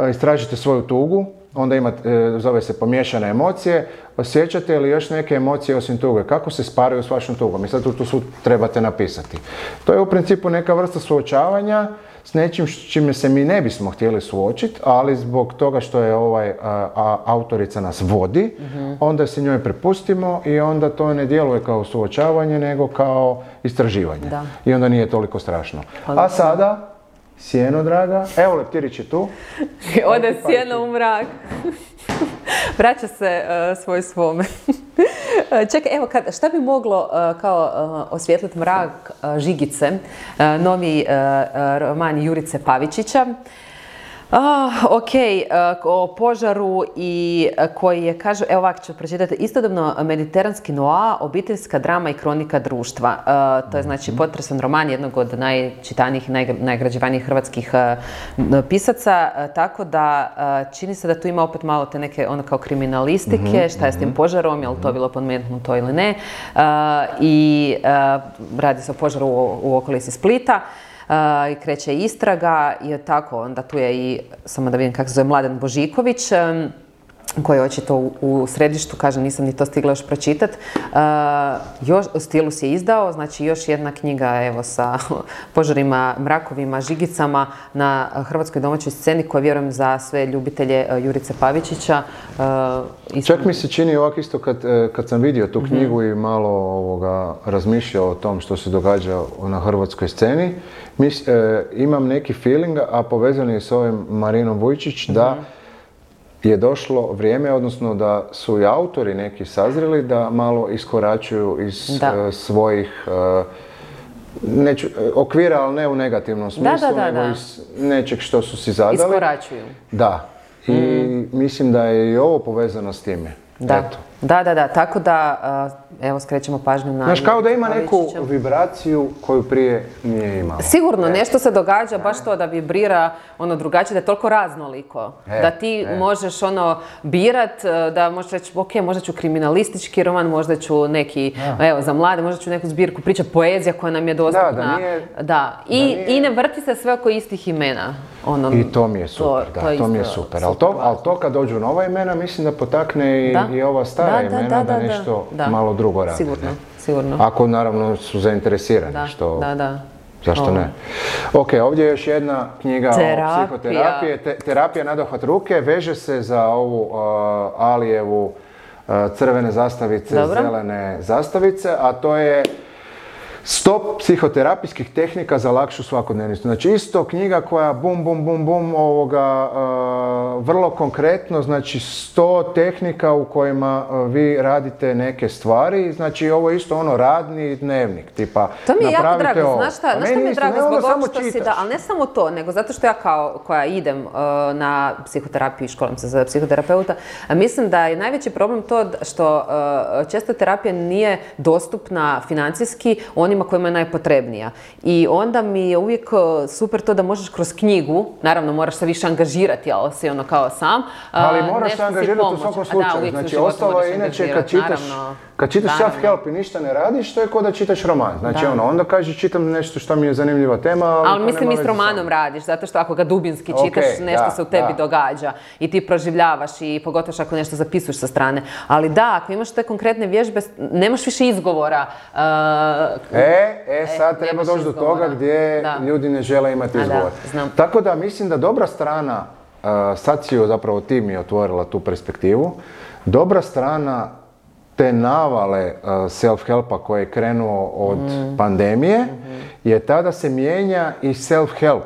istražite svoju tugu, onda imate, zove se pomiješane emocije, osjećate li još neke emocije osim tuge? Kako se sparaju s vašom tugom? I sad tu svu trebate napisati. To je u principu neka vrsta suočavanja s nečim čime se mi ne bismo htjeli suočiti, ali zbog toga što je autorica nas vodi, onda se njoj prepustimo i onda to ne djeluje kao suočavanje, nego kao istraživanje. I onda nije toliko strašno. A sada, sjeno, draga. Evo, leptirić je tu. Ode sjeno u mrak. Vraća se svome. Čekaj, evo, šta bi moglo kao osvijetliti mrak Žigice, novi roman Jurice Pavičića. O požaru i koji je, kaže, evo ovako ću pročitati, istodobno mediteranski noa, obiteljska drama i kronika društva. To je znači potresan roman jednog od najčitanijih i najgrađivanijih hrvatskih pisaca, tako da čini se da tu ima opet malo te neke ono kao kriminalistike, šta je s tim požarom, je li to bilo pomenuto ili ne, i radi se o požaru u okolici Splita. I kreće istraga i tako, onda tu je i, samo da vidim kako se zove, Mladen Božiković, koji je očito u središtu, kažem, nisam ni to stigla još pročitati. Stilus je izdao, znači još jedna knjiga, evo, sa požarima, mrakovima, žigicama na hrvatskoj domaćoj sceni, koja vjerujem za sve ljubitelje Jurice Pavičića. Čak mi se čini ovako isto kad sam vidio tu knjigu i malo razmišljao o tom što se događa na hrvatskoj sceni, imam neki feeling, a povezan je s ovim Marinom Vujčić, da je došlo vrijeme, odnosno da su i autori neki sazreli da malo iskoračuju iz svojih okvira, ali ne u negativnom smislu, nego iz nečeg što su si zadali. Iskoračuju. Da. I mislim da je i ovo povezano s time. Da, tako da, evo, skrećemo pažnju na... Znaš, kao da ima neku vibraciju koju prije nije imao. Sigurno, nešto se događa, baš to da vibrira ono drugačije, da je toliko raznoliko. Da ti možeš birat, da možeš reći, ok, možda ću kriminalistički roman, možda ću neki, evo, za mlade, možda ću neku zbirku priča, poezija koja nam je dostupna. I ne vrti se sve oko istih imena. I to mi je super, to mi je super. Ali to kad dođu nova imena, mislim da potakne i ova stara imena da nešto malo drugo rade. Sigurno. Ako naravno su zainteresirani, što... Zašto ne? Ok, ovdje je još jedna knjiga o psihoterapiji. Terapija nadohvat ruke, veže se za ovu Alijevu crvene zastavice, zelene zastavice, a to je 100 psihoterapijskih tehnika za lakšu svakodnevnicu. Znači isto knjiga koja bum, vrlo konkretno, znači 100 tehnika u kojima vi radite neke stvari. Znači ovo je isto radni dnevnik, tipa to mi je jako drago, znaš šta mi je drago zbog ovog što si da, ali ne samo to, nego zato što ja koja idem na psihoterapiju i školam se za psihoterapeuta, mislim da je najveći problem to što često terapija nije dostupna financijski onima kojima je najpotrebnija. I onda mi je uvijek super to da možeš kroz knjigu, naravno moraš se više angažirati, ali si kao sam. Ali moraš se angažirati u svakom slučaju. Znači ostalo je inače kad čitaš self-help i ništa ne radiš, to je kao da čitaš roman. Znači onda kažeš čitam nešto što mi je zanimljiva tema, ali mislim i s romanom radiš, zato što ako ga dubinski čitaš, nešto se u tebi događa i ti proživljavaš i pogotovo ako nešto zapisuješ sa strane. Ali da, ako imaš te konkretne vježbe, nemaš više izgovora. Sad treba doći do toga gdje ljudi ne žele imati izgovor. Tako da mislim da dobra strana, sad si zapravo ti mi otvorila tu perspektivu, dobra strana te navale self-helpa koji je krenuo od pandemije je tada se mijenja i self-help.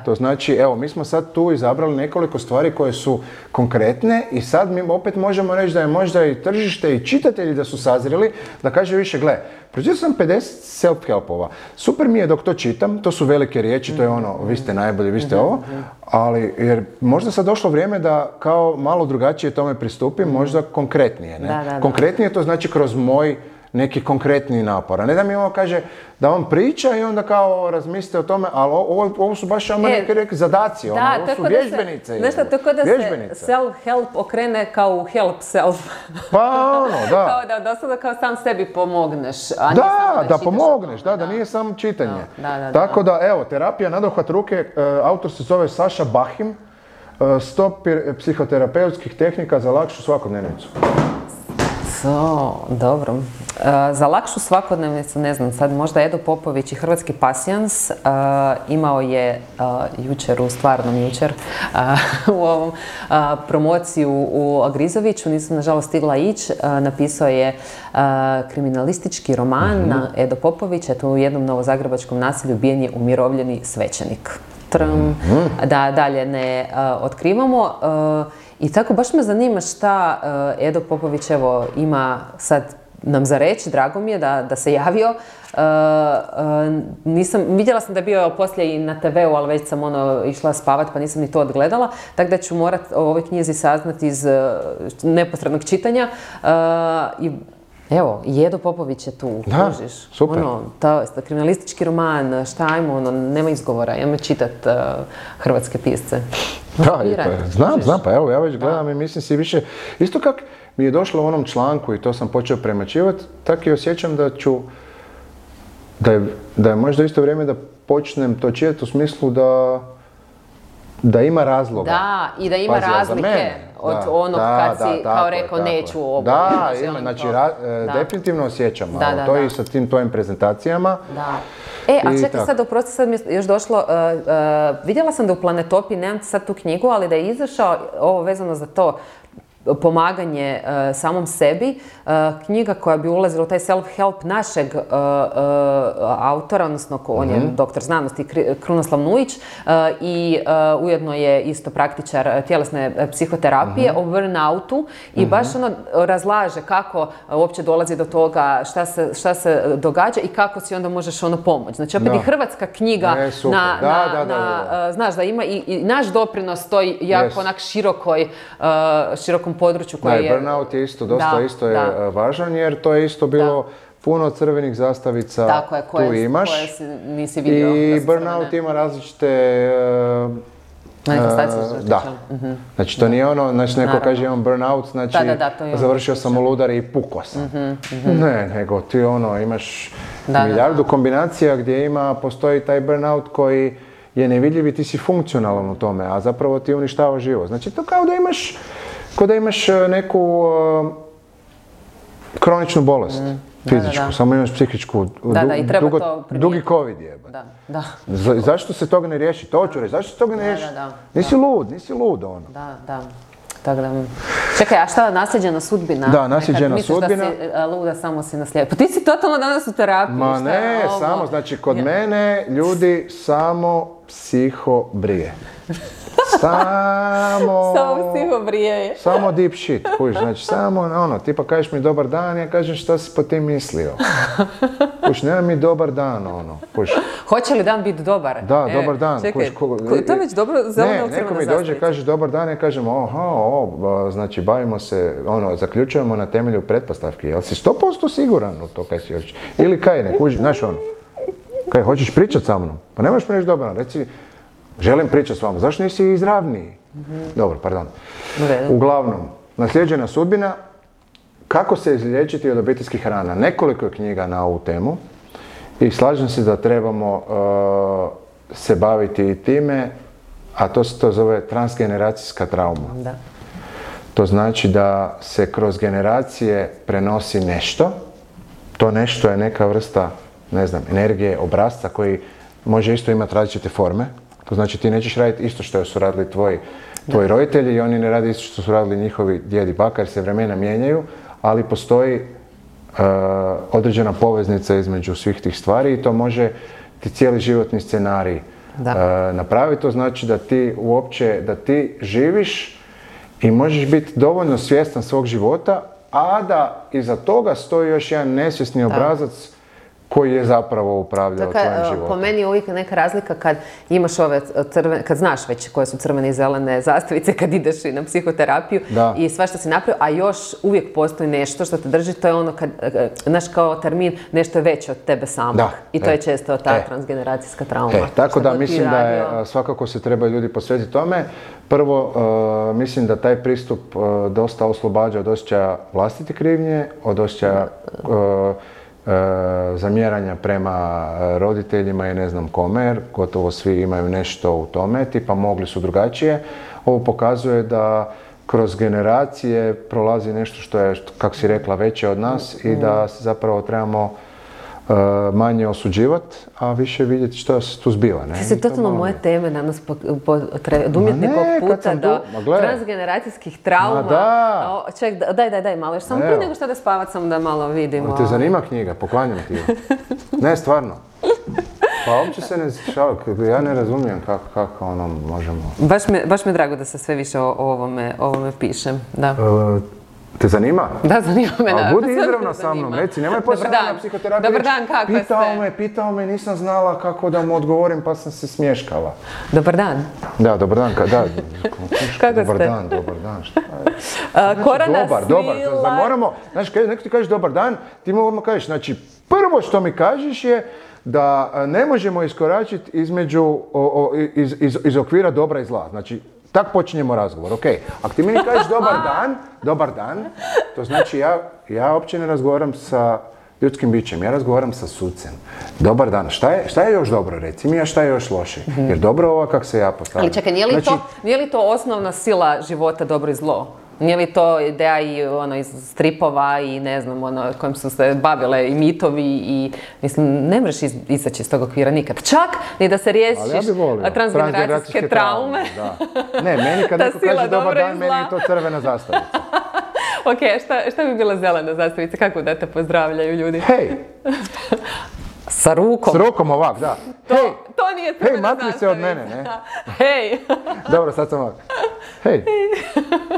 To znači, evo, mi smo sad tu izabrali nekoliko stvari koje su konkretne i sad mi opet možemo reći da je možda i tržište i čitatelji da su sazreli, da kaže više, gle, pročitao sam 50 self-helpova. Super mi je dok to čitam, to su velike riječi, to je ono, vi ste najbolji, vi ste ovo, ali jer možda sad došlo vrijeme da kao malo drugačije tome pristupim, možda konkretnije, ne? Konkretnije to znači kroz moj neki konkretni napor. A ne da mi ovo kaže da on priča i onda kao razmislite o tome, ali ovo su baš neki zadaci, ovo su vježbenice. Znaš što, tako da se self-help okrene kao u help self. Pa da. Kao da dosada kao sam sebi pomogneš. Da pomogneš, da nije samo čitanje. Tako da, evo, terapija nadohvat ruke, autor se zove Saša Bahim, 100 psihoterapeutskih tehnika za lakšu svakodnevnicu. Dobro. Za lakšu svakodnevnicu, ne znam, sad možda Edo Popović i Hrvatski pasijans imao je jučer, u ovom promociju u Agrizoviću, nisam nažalost stigla ići, napisao je kriminalistički roman na Edo Popović, eto u jednom novozagrebačkom naselju ubijen je umirovljeni svećenik. Da dalje ne otkrivamo. I tako baš me zanima šta Edo Popović evo ima sad nam za reći, drago mi je da se javio. Vidjela sam da je bio poslije i na TV-u, ali već sam išla spavat pa nisam ni to odgledala, tako da ću morat o ovoj knjizi saznati iz neposrednog čitanja. I evo, Edo Popović je tu, kužiš. Super. Kriminalistički roman, šta ajmo, nema izgovora, ajmo čitat hrvatske pisce. Znam, pa evo, ja već gledam i mislim si više, isto kak mi je došlo u onom članku i to sam počeo premačivati, tako i osjećam da je možda isto vrijeme da počnem to čitati u smislu da ima razloga. Da, i da ima razlike od onog kad si kao rekao neću ovo. Da, ima, znači definitivno osjećam, to i sa tim tvojim prezentacijama. A čekaj sad, oprosti, sad mi je još došlo, vidjela sam da u Planetopiji, nemam sad tu knjigu, ali da je izašao ovo vezano za to, pomaganje samom sebi, knjiga koja bi ulazila u taj self-help našeg autora, odnosno on je doktor znanosti Krunoslav Nujić i ujedno je isto praktičar tjelesne psihoterapije o burnoutu i baš razlaže kako uopće dolazi do toga, šta se događa i kako si onda možeš pomoći. Znači opet i hrvatska knjiga znaš da ima i naš doprinos toj jako onak širokom području koji je... Burnout je isto, dosta je važan jer to je isto bilo puno crvenih zastavica, tu imaš. Koje nisi vidio. I burnout ima različite... manifestacije. Znači to nije ono, znači neko kaže imam burnout, znači završio sam u ludari i pukao sam. Ne, nego ti imaš milijardu kombinacija gdje postoji taj burnout koji je nevidljiv i ti si funkcionalan u tome, a zapravo ti uništava život. Znači to kao da imaš neku kroničnu bolest, fizičku, samo imaš psihičku, dugi covid je. Zašto se toga ne riješi? To ću reći, zašto se toga ne riješi? Nisi lud ono. Tako da... Čekaj, a šta nasljeđena sudbina? Da, nasljeđena sudbina. Misliš da si luda, samo si naslijeđena. Pa ti si totalno danas u terapiji. Ma ne, samo, znači kod mene ljudi samo psihobrije. Samo psihobrije. Samo deep shit, kužiš, znači samo tipa kažeš mi dobar dan, ja kažem šta si po tim mislio. Kužiš, nema mi dobar dan, kužiš. Hoće li dan biti dobar? Da, dobar dan. Čekaj, to je već dobro zeleno neko mi dođe, kaže dobar dan, ja kažem znači bavimo se, zaključujemo na temelju pretpostavki, jel si 100% siguran u to kaj si hoćeš? Ili kaj ne, kužiš, znaš kaj, hoćeš pričat sa mnom? Pa nemaš mi reći dobar dan, reci, želim pričati s vama, zašto nisi izravniji? Dobro, pardon. Uglavnom, nasljeđena sudbina, kako se izliječiti od obiteljskih rana. Nekoliko je knjiga na ovu temu i slažem se da trebamo se baviti i time, a to se zove transgeneracijska trauma. Da. To znači da se kroz generacije prenosi nešto. To nešto je neka vrsta, ne znam, energije, obrasca koji može isto imati različite forme. To znači ti nećeš raditi isto što su radili tvoji roditelji i oni ne rade isto što su radili njihovi djedi i baka jer se vremena mijenjaju, ali postoji određena poveznica između svih tih stvari i to može ti cijeli životni scenarij napraviti. To znači da ti živiš i možeš biti dovoljno svjestan svog života, a da iza toga stoji još jedan nesvjesni obrazac koji je zapravo upravljao tvojim životom. Po meni je uvijek neka razlika kad imaš ove kad znaš već koje su crvene i zelene zastavice kad ideš i na psihoterapiju i sve što si napravio, a još uvijek postoji nešto što te drži, to je ono kad, znaš kao termin, nešto je veće od tebe samog. I to je često ta transgeneracijska trauma. Tako da mislim da je, svakako se treba ljudi posvetiti tome. Prvo, mislim da taj pristup dosta oslobađa od osjećaja vlastite krivnje, od osjećaja zamjeranja prema roditeljima i ne znam kome, jer gotovo svi imaju nešto u tome, tipa mogli su drugačije. Ovo pokazuje da kroz generacije prolazi nešto što je, kako si rekla, veće od nas i da se zapravo trebamo manje osuđivati, a više vidjeti što se tu zbiva. Ti si totalno moje teme danas odumjetni puta do transgeneracijskih trauma. Ček, daj malo, još samo prije nego što da spavat sam da malo vidimo. Te zanima knjiga? Poklanjam ti je. Ne, stvarno. Pa uopće se ne šalim, ja ne razumijem kako ono možemo... Baš mi je drago da se sve više o ovome pišem, da. Te zanima? Da, zanima me. A budi izravna sa mnom, reci, nemoj poslije na psihoterapiju. Dobar dan, kako ste? Pitao me, nisam znala kako da mu odgovorim pa sam se smješkala. Dobar dan. Da, dobar dan, da. Kako dobar ste? Dobar dan, šta je? Korona dobar, moramo, znaš, neko ti kažeš dobar dan, ti mu odmah kažeš, znači, prvo što mi kažeš je da ne možemo iskoračiti iz okvira dobra i zla, znači, tako počinjemo razgovor, ok. Ako ti meni kažeš dobar dan, to znači ja uopće ne razgovaram sa ljudskim bićem, ja razgovaram sa sucem. Dobar dan, šta je još dobro, reci mi, a šta je još loše? Jer dobro ovo kako se ja postavljam. Ali čekaj, nije li to osnovna sila života dobro i zlo? Nije li to ideja i iz stripova i ne znam, kojim su se bavile i mitovi i mislim, ne možeš izaći iz tog okvira nikad. Čak ni da se riješiš transgeneracijske traume. Ne, meni kad neko kaže dobar dan, meni je to crvena zastavica. Ok, šta bi bila zelena zastavica? Kako da te pozdravljaju ljudi? Hej! Sa rukom. S rukom ovak, da. To nije crvena zastavica. Hej, makni se od mene, ne? Hej! Dobro, sad sam ovak. Hej!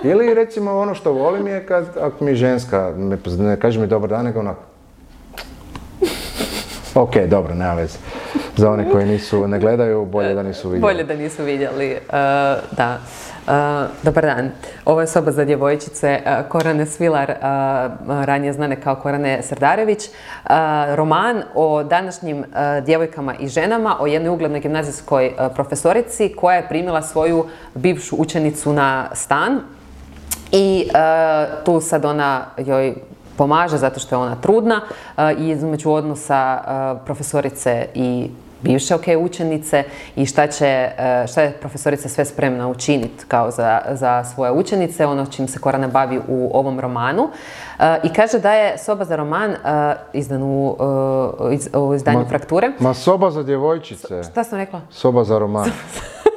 Ili recimo ono što volim je kad, ako mi ženska ne kaže mi dobar dan, nego onak. Ok, dobro, nema veze. Za one koji ne gledaju, bolje da nisu vidjeli. Bolje da nisu vidjeli, da. Dobar dan. Ovo je soba za djevojčice Korane Svilar, ranije znane kao Korane Srdarević. Roman o današnjim djevojkama i ženama, o jednoj uglednoj gimnazijskoj profesorici koja je primila svoju bivšu učenicu na stan i tu sad ona joj pomaže zato što je ona trudna i između odnosa profesorice i bivše učenice i šta je profesorica sve spremna učiniti kao za svoje učenice, ono čim se Korana bavi u ovom romanu. I kaže da je soba za roman izdan u izdanju Frakture. Ma soba za djevojčice. Šta sam rekla? Soba za roman.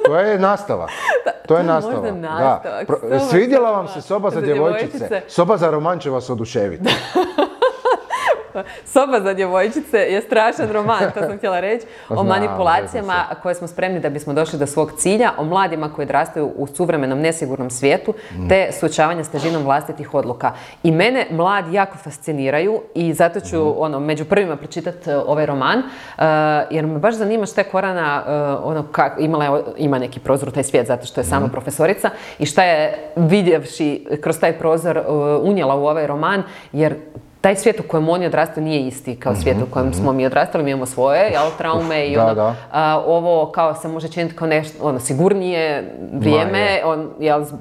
To je nastavak. To je nastavak. Svidjela vam se soba za djevojčice. Soba za roman će vas oduševiti. Soba za djevojčice je strašan roman, to sam htjela reći, o manipulacijama koje smo spremni da bismo došli do svog cilja, o mladima koji odrastaju u suvremenom nesigurnom svijetu, te suočavanje s težinom vlastitih odluka. I mene mladi jako fasciniraju i zato ću među prvima pročitati ovaj roman, jer me baš zanima šta je Korana ima neki prozor u taj svijet zato što je sama profesorica i šta je vidjevši kroz taj prozor unijela u ovaj roman, jer taj svijet u kojem oni odrastaju nije isti kao svijet u kojem smo mi odrastali, mi imamo svoje traume i ovo kao se može činiti kao nešto sigurnije vrijeme,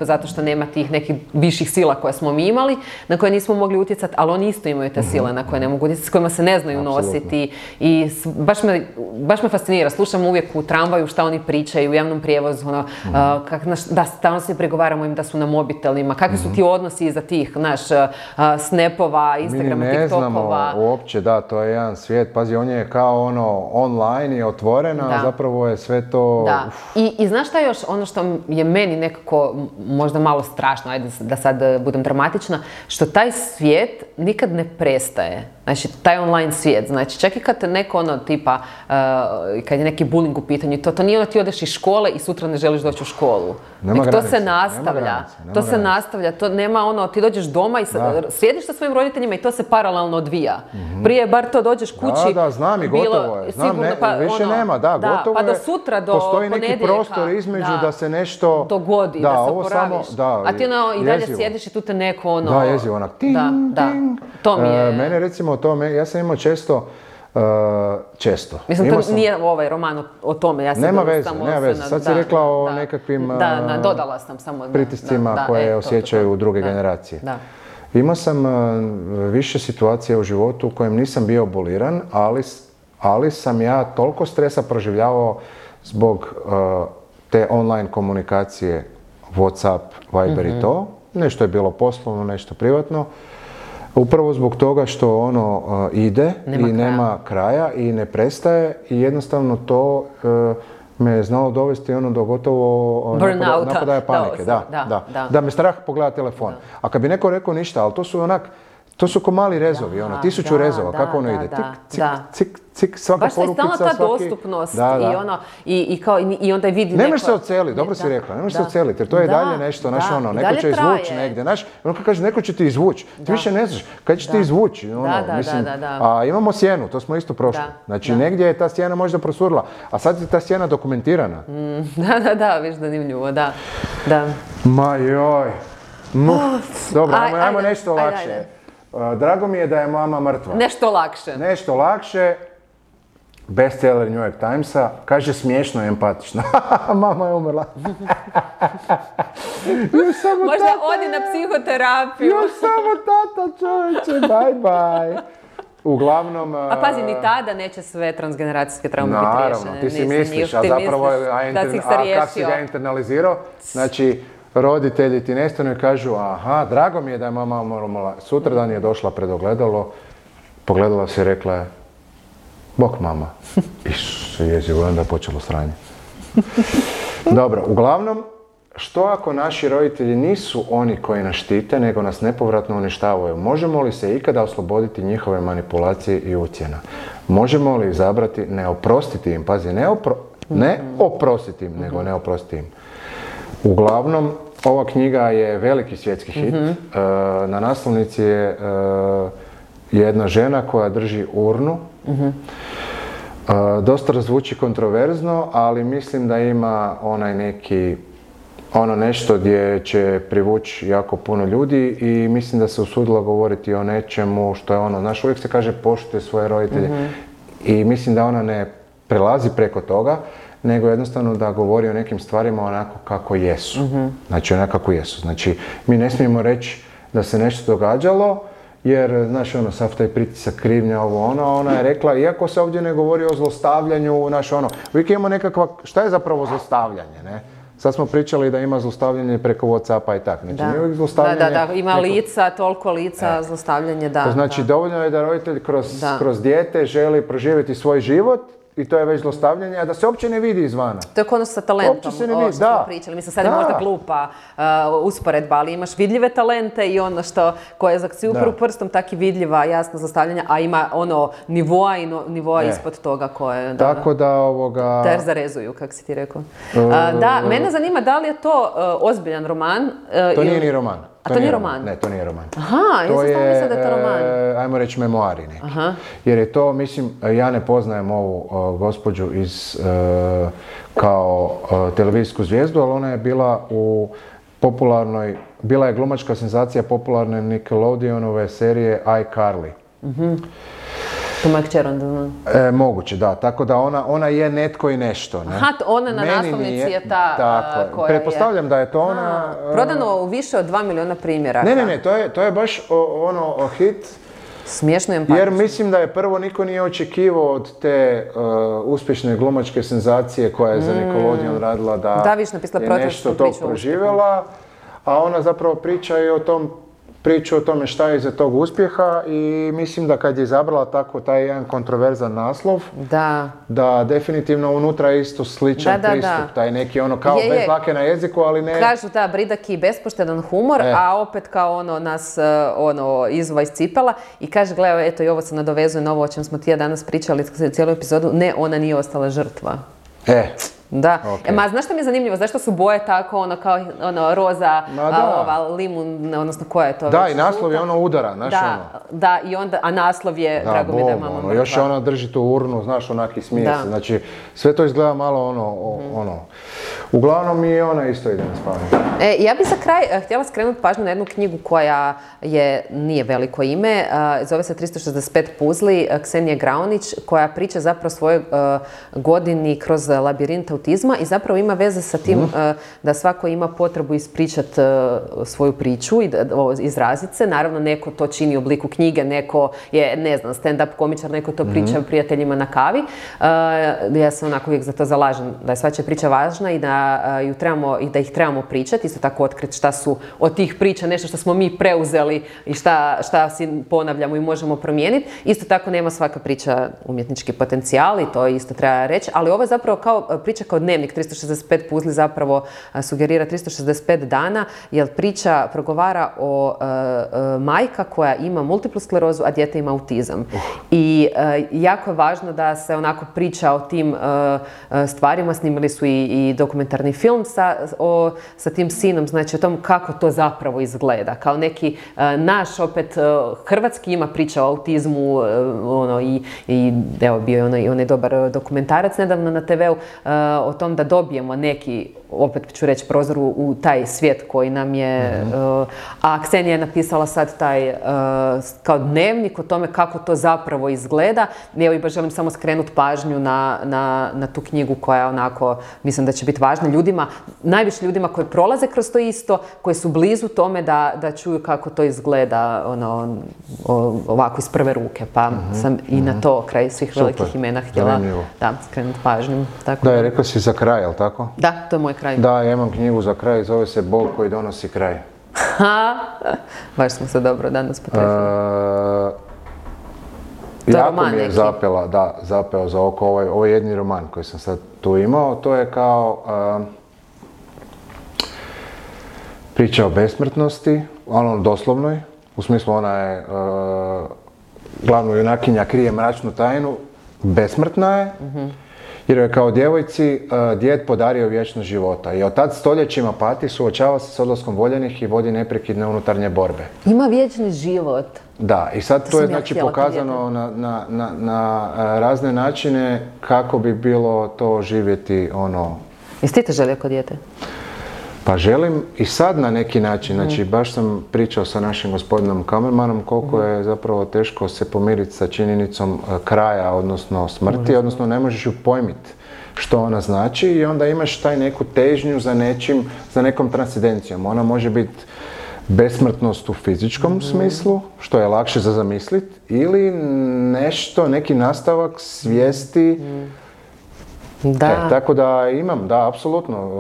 zato što nema tih nekih viših sila koje smo mi imali, na koje nismo mogli utjecati, ali oni isto imaju te sile na koje ne mogu utjecati, s kojima se ne znaju nositi i baš me fascinira, slušam uvijek u tramvaju šta oni pričaju, u javnom prijevozu, da stalno se pregovaramo im da su na mobitelima, kakvi su ti odnosi iza tih, snapova, Instagrama, mi ne znamo uopće, to je jedan svijet, pazi, on je kao online i otvoren, a zapravo je sve to... Da, i znaš šta još, ono što je meni nekako možda malo strašno, ajde da sad budem dramatična, što taj svijet nikad ne prestaje. Znači, taj online svijet, znači, čak i kad neko tipa, kad je neki bullying u pitanju, to nije ti odeš iz škole i sutra ne želiš doći u školu. To se nastavlja, to nema ti dođeš doma i sjediš sa svojim roditeljima i to se paralelno odvija. Prije bar to dođeš kući. Da, znam i gotovo je. Više nema, gotovo je. Pa do sutra, do ponedjeljka. Postoji neki prostor između da se nešto... dogodi, da se oporaviš. A ti i dalje sjediš i tu te neko Da, jezivo, onak ting, ting. To mi je... Mene recimo ja sam imao često. Mislim, to nije ovaj roman o tome. Ja nema veze. Sad si rekla o nekakvim dodala sam samo pritiscima koje osjećaju druge generacije. Imao sam više situacija u životu u kojem nisam bio aboliran, ali sam ja toliko stresa proživljavao zbog te online komunikacije, WhatsApp, Viber i to. Nešto je bilo poslovno, nešto privatno. Upravo zbog toga što ide nema kraja i ne prestaje i jednostavno to me je znalo dovesti do gotovo napadaja panike. Da me strah pogleda telefon. A kad bi neko rekao ništa, ali to su ko mali rezovi, 1000 rezova, kako ono ide? Cik, cik, cik, svaka porukica, baš je stalno ta dostupnost i onda vidi neko... Ne možeš se oceliti, dobro si rekla, ne možeš se oceliti, jer to je dalje nešto, neko će izvući negdje, kaže, neko će ti izvući, ti više ne znaš, kad će ti izvući, a imamo sjenu, to smo isto prošli, znači negdje je ta sjena možda prosurila, a sad je ta sjena dokumentirana. Da, viš zanimljivo, da. Ma joj, dobro, ajmo nešto lakše. Drago mi je da je mama mrtva. Nešto lakše. Bestseller New York Timesa. Kaže smiješno i empatično. Mama je umrla. Možda odi na psihoterapiju. Još samo tata, čovječe. Bye. Uglavnom... A pazi, ni tada neće sve transgeneracijske traume biti riješene. Naravno, ti si misliš, a zapravo kako si ga internalizirao? Znači, roditelji ti nestanu i kažu, aha, drago mi je da je mama umrla. Sutradan je došla pred ogledalo, pogledala se i rekla je, bok mama. Isuse, jezivo, onda je počelo sranje. Dobro, uglavnom, što ako naši roditelji nisu oni koji nas štite, nego nas nepovratno uništavaju? Možemo li se ikada osloboditi njihove manipulacije i ucjena? Možemo li izabrati ne oprostiti im? Pazi, ne oprostiti im, nego ne oprostiti im. Uglavnom, ova knjiga je veliki svjetski hit. Na naslovnici je jedna žena koja drži urnu. Dosta zvuči kontroverzno, ali mislim da ima onaj neki nešto gdje će privući jako puno ljudi i mislim da se usudila govoriti o nečemu što je znaš, uvijek se kaže poštuje svoje roditelje i mislim da ona ne prelazi preko toga, nego jednostavno da govori o nekim stvarima onako kako jesu. Znači, onako kako jesu. Znači, mi ne smijemo reći da se nešto događalo, jer, znaš, sav taj pritisak, krivnja, ona je rekla, iako se ovdje ne govori o zlostavljanju, uvijek imamo nekakva, šta je zapravo zlostavljanje, ne? Sad smo pričali da ima zlostavljanje preko WhatsAppa i tako. Znači, nije uvijek zlostavljanje... Da, ima lica, toliko lica, zlostavljanje, da. To znači, dovoljno je da roditelj kroz dijete želi proživjeti svoj život, i to je već zlostavljanje, a da se uopće ne vidi izvana. To je kod sa talentom, ovo što smo pričali. Mislim, sad je možda glupa usporedba, ali imaš vidljive talente i koje si upravo prstom tak i vidljiva, jasno zlostavljanja, a ima nivoa i nivoa ispod toga koje... Tako da Ter zarezuju, kako si ti rekao. Da, mene zanima da li je to ozbiljan roman. To nije ni roman. A to nije roman? Ne, to nije roman. Aha, ja sam stvarno mislila da je to roman. Ajmo reći memoari neki. Jer je to, mislim, ja ne poznajem ovu gospođu kao televizijsku zvijezdu, ali ona je bila u popularnoj, bila je glumačka senzacija popularne Nickelodeonove serije iCarly. To moja kćer onda zna. Moguće, da. Tako da ona je netko i nešto. Ne? Aha, ona na naslovnici je ta koja je... Pretpostavljam da je to ona... Prodano u više od 2 miliona primjera. Ne, to je baš hit. Smiješno empatično. Jer mislim da je prvo niko nije očekivao od te uspješne glumačke senzacije koja je za Nickelodeon radila da je nešto to proživjela, a ona zapravo priča i priču o tome šta je iza tog uspjeha i mislim da kad je izabrala tako taj jedan kontroverzan naslov, da definitivno unutra je isto sličan pristup, taj neki kao bez dlake na jeziku, ali ne... Kažu bridaki bespoštedan humor, a opet kao nas izuva iz cipela i kaže, gledaj, eto i ovo se nadovezuje na ovo o čem smo ti ja danas pričali cijelu epizodu, ne, ona nije ostala žrtva. Da. Okay. Znaš što mi je zanimljivo? Zašto su boje tako, kao roza, limun, odnosno koja je to? Da, i naslov je udara, znaš Da, i onda, a naslov je, drago mi da je mama mrtva. Još ona drži tu urnu, znaš, onaki smije se. Znači, sve to izgleda malo Uglavnom i ona isto ide na spavanje. Ja bih za kraj htjela skrenuti pažnju na jednu knjigu koja nije veliko ime, zove se 365 puzli, Ksenije Graunić, koja priča zapravo svojoj godini kroz labirint autizma i zapravo ima veze sa tim da svako ima potrebu ispričati svoju priču i izraziti se. Naravno, neko to čini u obliku knjige, neko je, ne znam, stand-up komičar, neko to priča prijateljima na kavi. Ja se onako uvijek za to zalažem, da je svačija priča važna i da ih trebamo pričati, isto tako otkriti šta su od tih priča nešto što smo mi preuzeli i šta si ponavljamo i možemo promijeniti. Isto tako nema svaka priča umjetnički potencijal i to isto treba reći, ali ovo je zapravo priča kao dnevnik, 365 puzli zapravo sugerira 365 dana, jer priča progovara o majka koja ima multiplu sklerozu, a dijete ima autizam. I jako je važno da se onako priča o tim stvarima, snimili su i dokumentarni film sa tim sinom, znači o tom kako to zapravo izgleda. Kao neki naš, opet, hrvatski ima priča o autizmu i evo bio je onaj dobar dokumentarac nedavno na TV-u o tom da dobijemo neki, opet ću reći, prozor u taj svijet koji nam je... A Ksenija je napisala sad taj kao dnevnik o tome kako to zapravo izgleda. Evo i baš želim samo skrenuti pažnju na tu knjigu koja onako, mislim da će biti važna ljudima, najviše ljudima koji prolaze kroz to isto, koji su blizu tome da čuju kako to izgleda ovako iz prve ruke. Pa sam i na to kraj svih velikih imena htjela skrenuti pažnju. Da, rekao si za kraj, jel tako? Da, to je moj kraj. Da, ja imam knjigu za kraj, zove se Bol koji donosi kraj. Baš smo se dobro danas potrefili. Jako mi je zapeo za oko ovaj jedni roman koji sam sad tu imao. To je kao priča o besmrtnosti, doslovnoj. U smislu ona je glavna junakinja krije mračnu tajnu, besmrtna je. Jer je kao djevojci djed podario vječnost života i od tad stoljećima pati, suočava se s odlaskom voljenih i vodi neprekidne unutarnje borbe. Ima vječni život. Da, i sad to je znači pokazano na razne načine kako bi bilo to živjeti Jesi ti to želio kod dijete? Pa želim i sad na neki način, znači baš sam pričao sa našim gospodinom kamermanom koliko je zapravo teško se pomiriti sa činjenicom kraja, odnosno smrti, odnosno ne možeš ju pojmiti što ona znači i onda imaš taj neku težnju za nekom transcendencijom. Ona može biti besmrtnost u fizičkom smislu, što je lakše za zamisliti, ili neki nastavak svijesti. Tako da imam, da, apsolutno.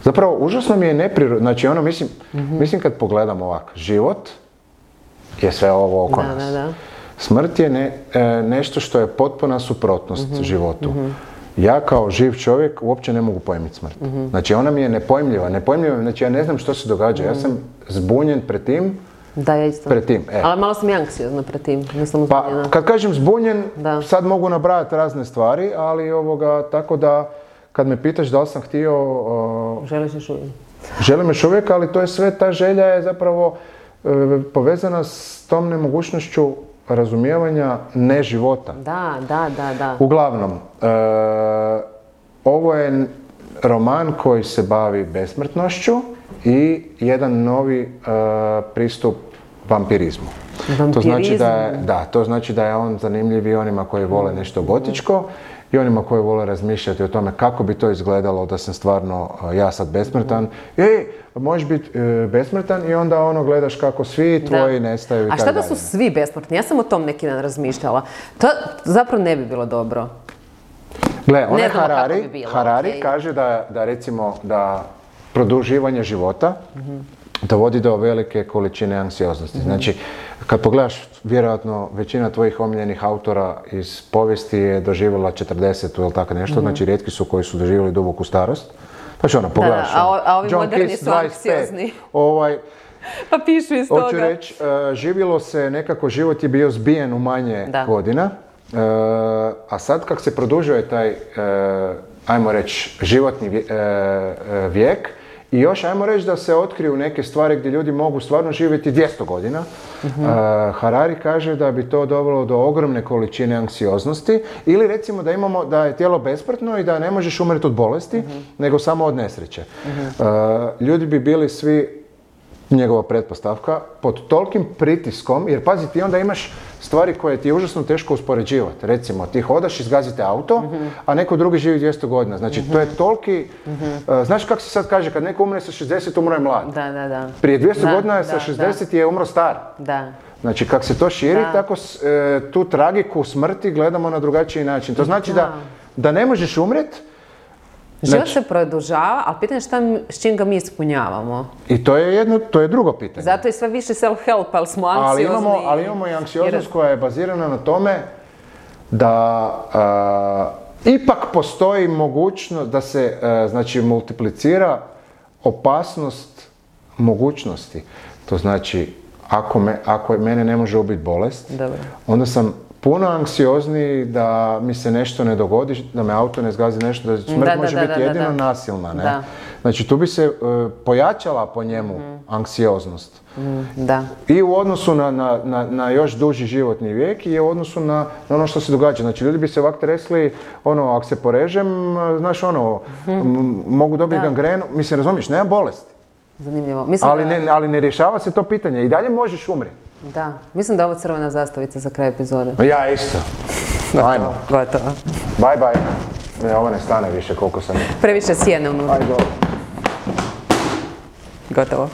Zapravo, užasno mi je neprirodno, znači mislim kad pogledam ovako, život je sve ovo oko nas. Smrt je nešto što je potpuna suprotnost životu. Ja kao živ čovjek uopće ne mogu pojmiti smrt. Znači ona mi je nepojmljiva, znači ja ne znam što se događa, ja sam zbunjen pred tim. Da, ja isto. Pred tim, Ali malo sam i anksiozna pred tim, nisam uzbunjena. Pa, kad kažem zbunjen, sad mogu nabrajati razne stvari, ali tako da, kad me pitaš da li sam htio... Želiš još uvijek? Želim još uvijek, ali to je sve, ta želja je zapravo povezana s tom nemogućnošću razumijevanja neživota. Da. Uglavnom, ovo je roman koji se bavi besmrtnošću i jedan novi pristup vampirizmu. To znači da je on zanimljiv i onima koji vole nešto gotičko i onima koji vole razmišljati o tome kako bi to izgledalo da sam stvarno ja sad besmrtan. Možeš biti besmrtan i onda gledaš kako svi tvoji nestaju i tako dalje. A šta da su svi besmrtni? Ja sam o tom neki dan razmišljala. To zapravo ne bi bilo dobro. Gle, Harari kaže da recimo da produživanje života dovodi do velike količine anksioznosti. Znači, kad pogledaš, vjerojatno većina tvojih omiljenih autora iz povijesti je doživjela 40 ili tako nešto, znači rijetki su koji su doživjeli duboku starost. Pa što pogledaš, a ovi moderni su anksiozni. Pa pišu iz toga. Hoću reći, živjelo se nekako, život je bio zbijen u manje godina, a sad kako se produžuje taj, ajmo reći, životni vijek, i još ajmo reći da se otkriju neke stvari gdje ljudi mogu stvarno živjeti 200 godina. Harari kaže da bi to dovelo do ogromne količine anksioznosti ili recimo da je tijelo besmrtno i da ne možeš umreti od bolesti, nego samo od nesreće. Ljudi bi bili svi, njegova pretpostavka, pod tolikim pritiskom, jer pazi, ti onda imaš stvari koje ti je užasno teško uspoređivati. Recimo, ti hodaš, izgazite auto, a neko drugi živi 200 godina. Znači, to je toliki... Znaš kako se sad kaže, kad neko umre sa 60, umro je mlad. Da. Prije 200 godina sa 60 je umro star. Da. Znači, kako se to širi, tako tu tragiku smrti gledamo na drugačiji način. To znači da ne možeš umreti. Život se produžava, ali pitanje je s čim ga mi ispunjavamo. I to je drugo pitanje. Zato je sve više self-help, ali smo anksiozni. Ali imamo i anksioznost koja je bazirana na tome da ipak postoji mogućnost da se multiplicira opasnost mogućnosti. To znači, ako mene ne može ubiti bolest, onda sam puno anksiozniji da mi se nešto ne dogodi, da me auto ne zgazi nešto, da smrt može biti jedino nasilna. Ne? Znači tu bi se pojačala po njemu anksioznost. I u odnosu na još duži životni vijek i u odnosu na ono što se događa. Znači ljudi bi se ovak tresli, ako se porežem, znaš mogu dobiti gangrenu, mislim razumiješ, nema bolesti. Zanimljivo. Ali ne rješava se to pitanje, i dalje možeš umreti. Da, mislim da je ovo crvena zastavica za kraj epizode. Ja isto. Ajmo. Gotovo. Bye bye. Ovo ne stane više koliko sam... Previše sjene unutra. Ajde. Gotovo.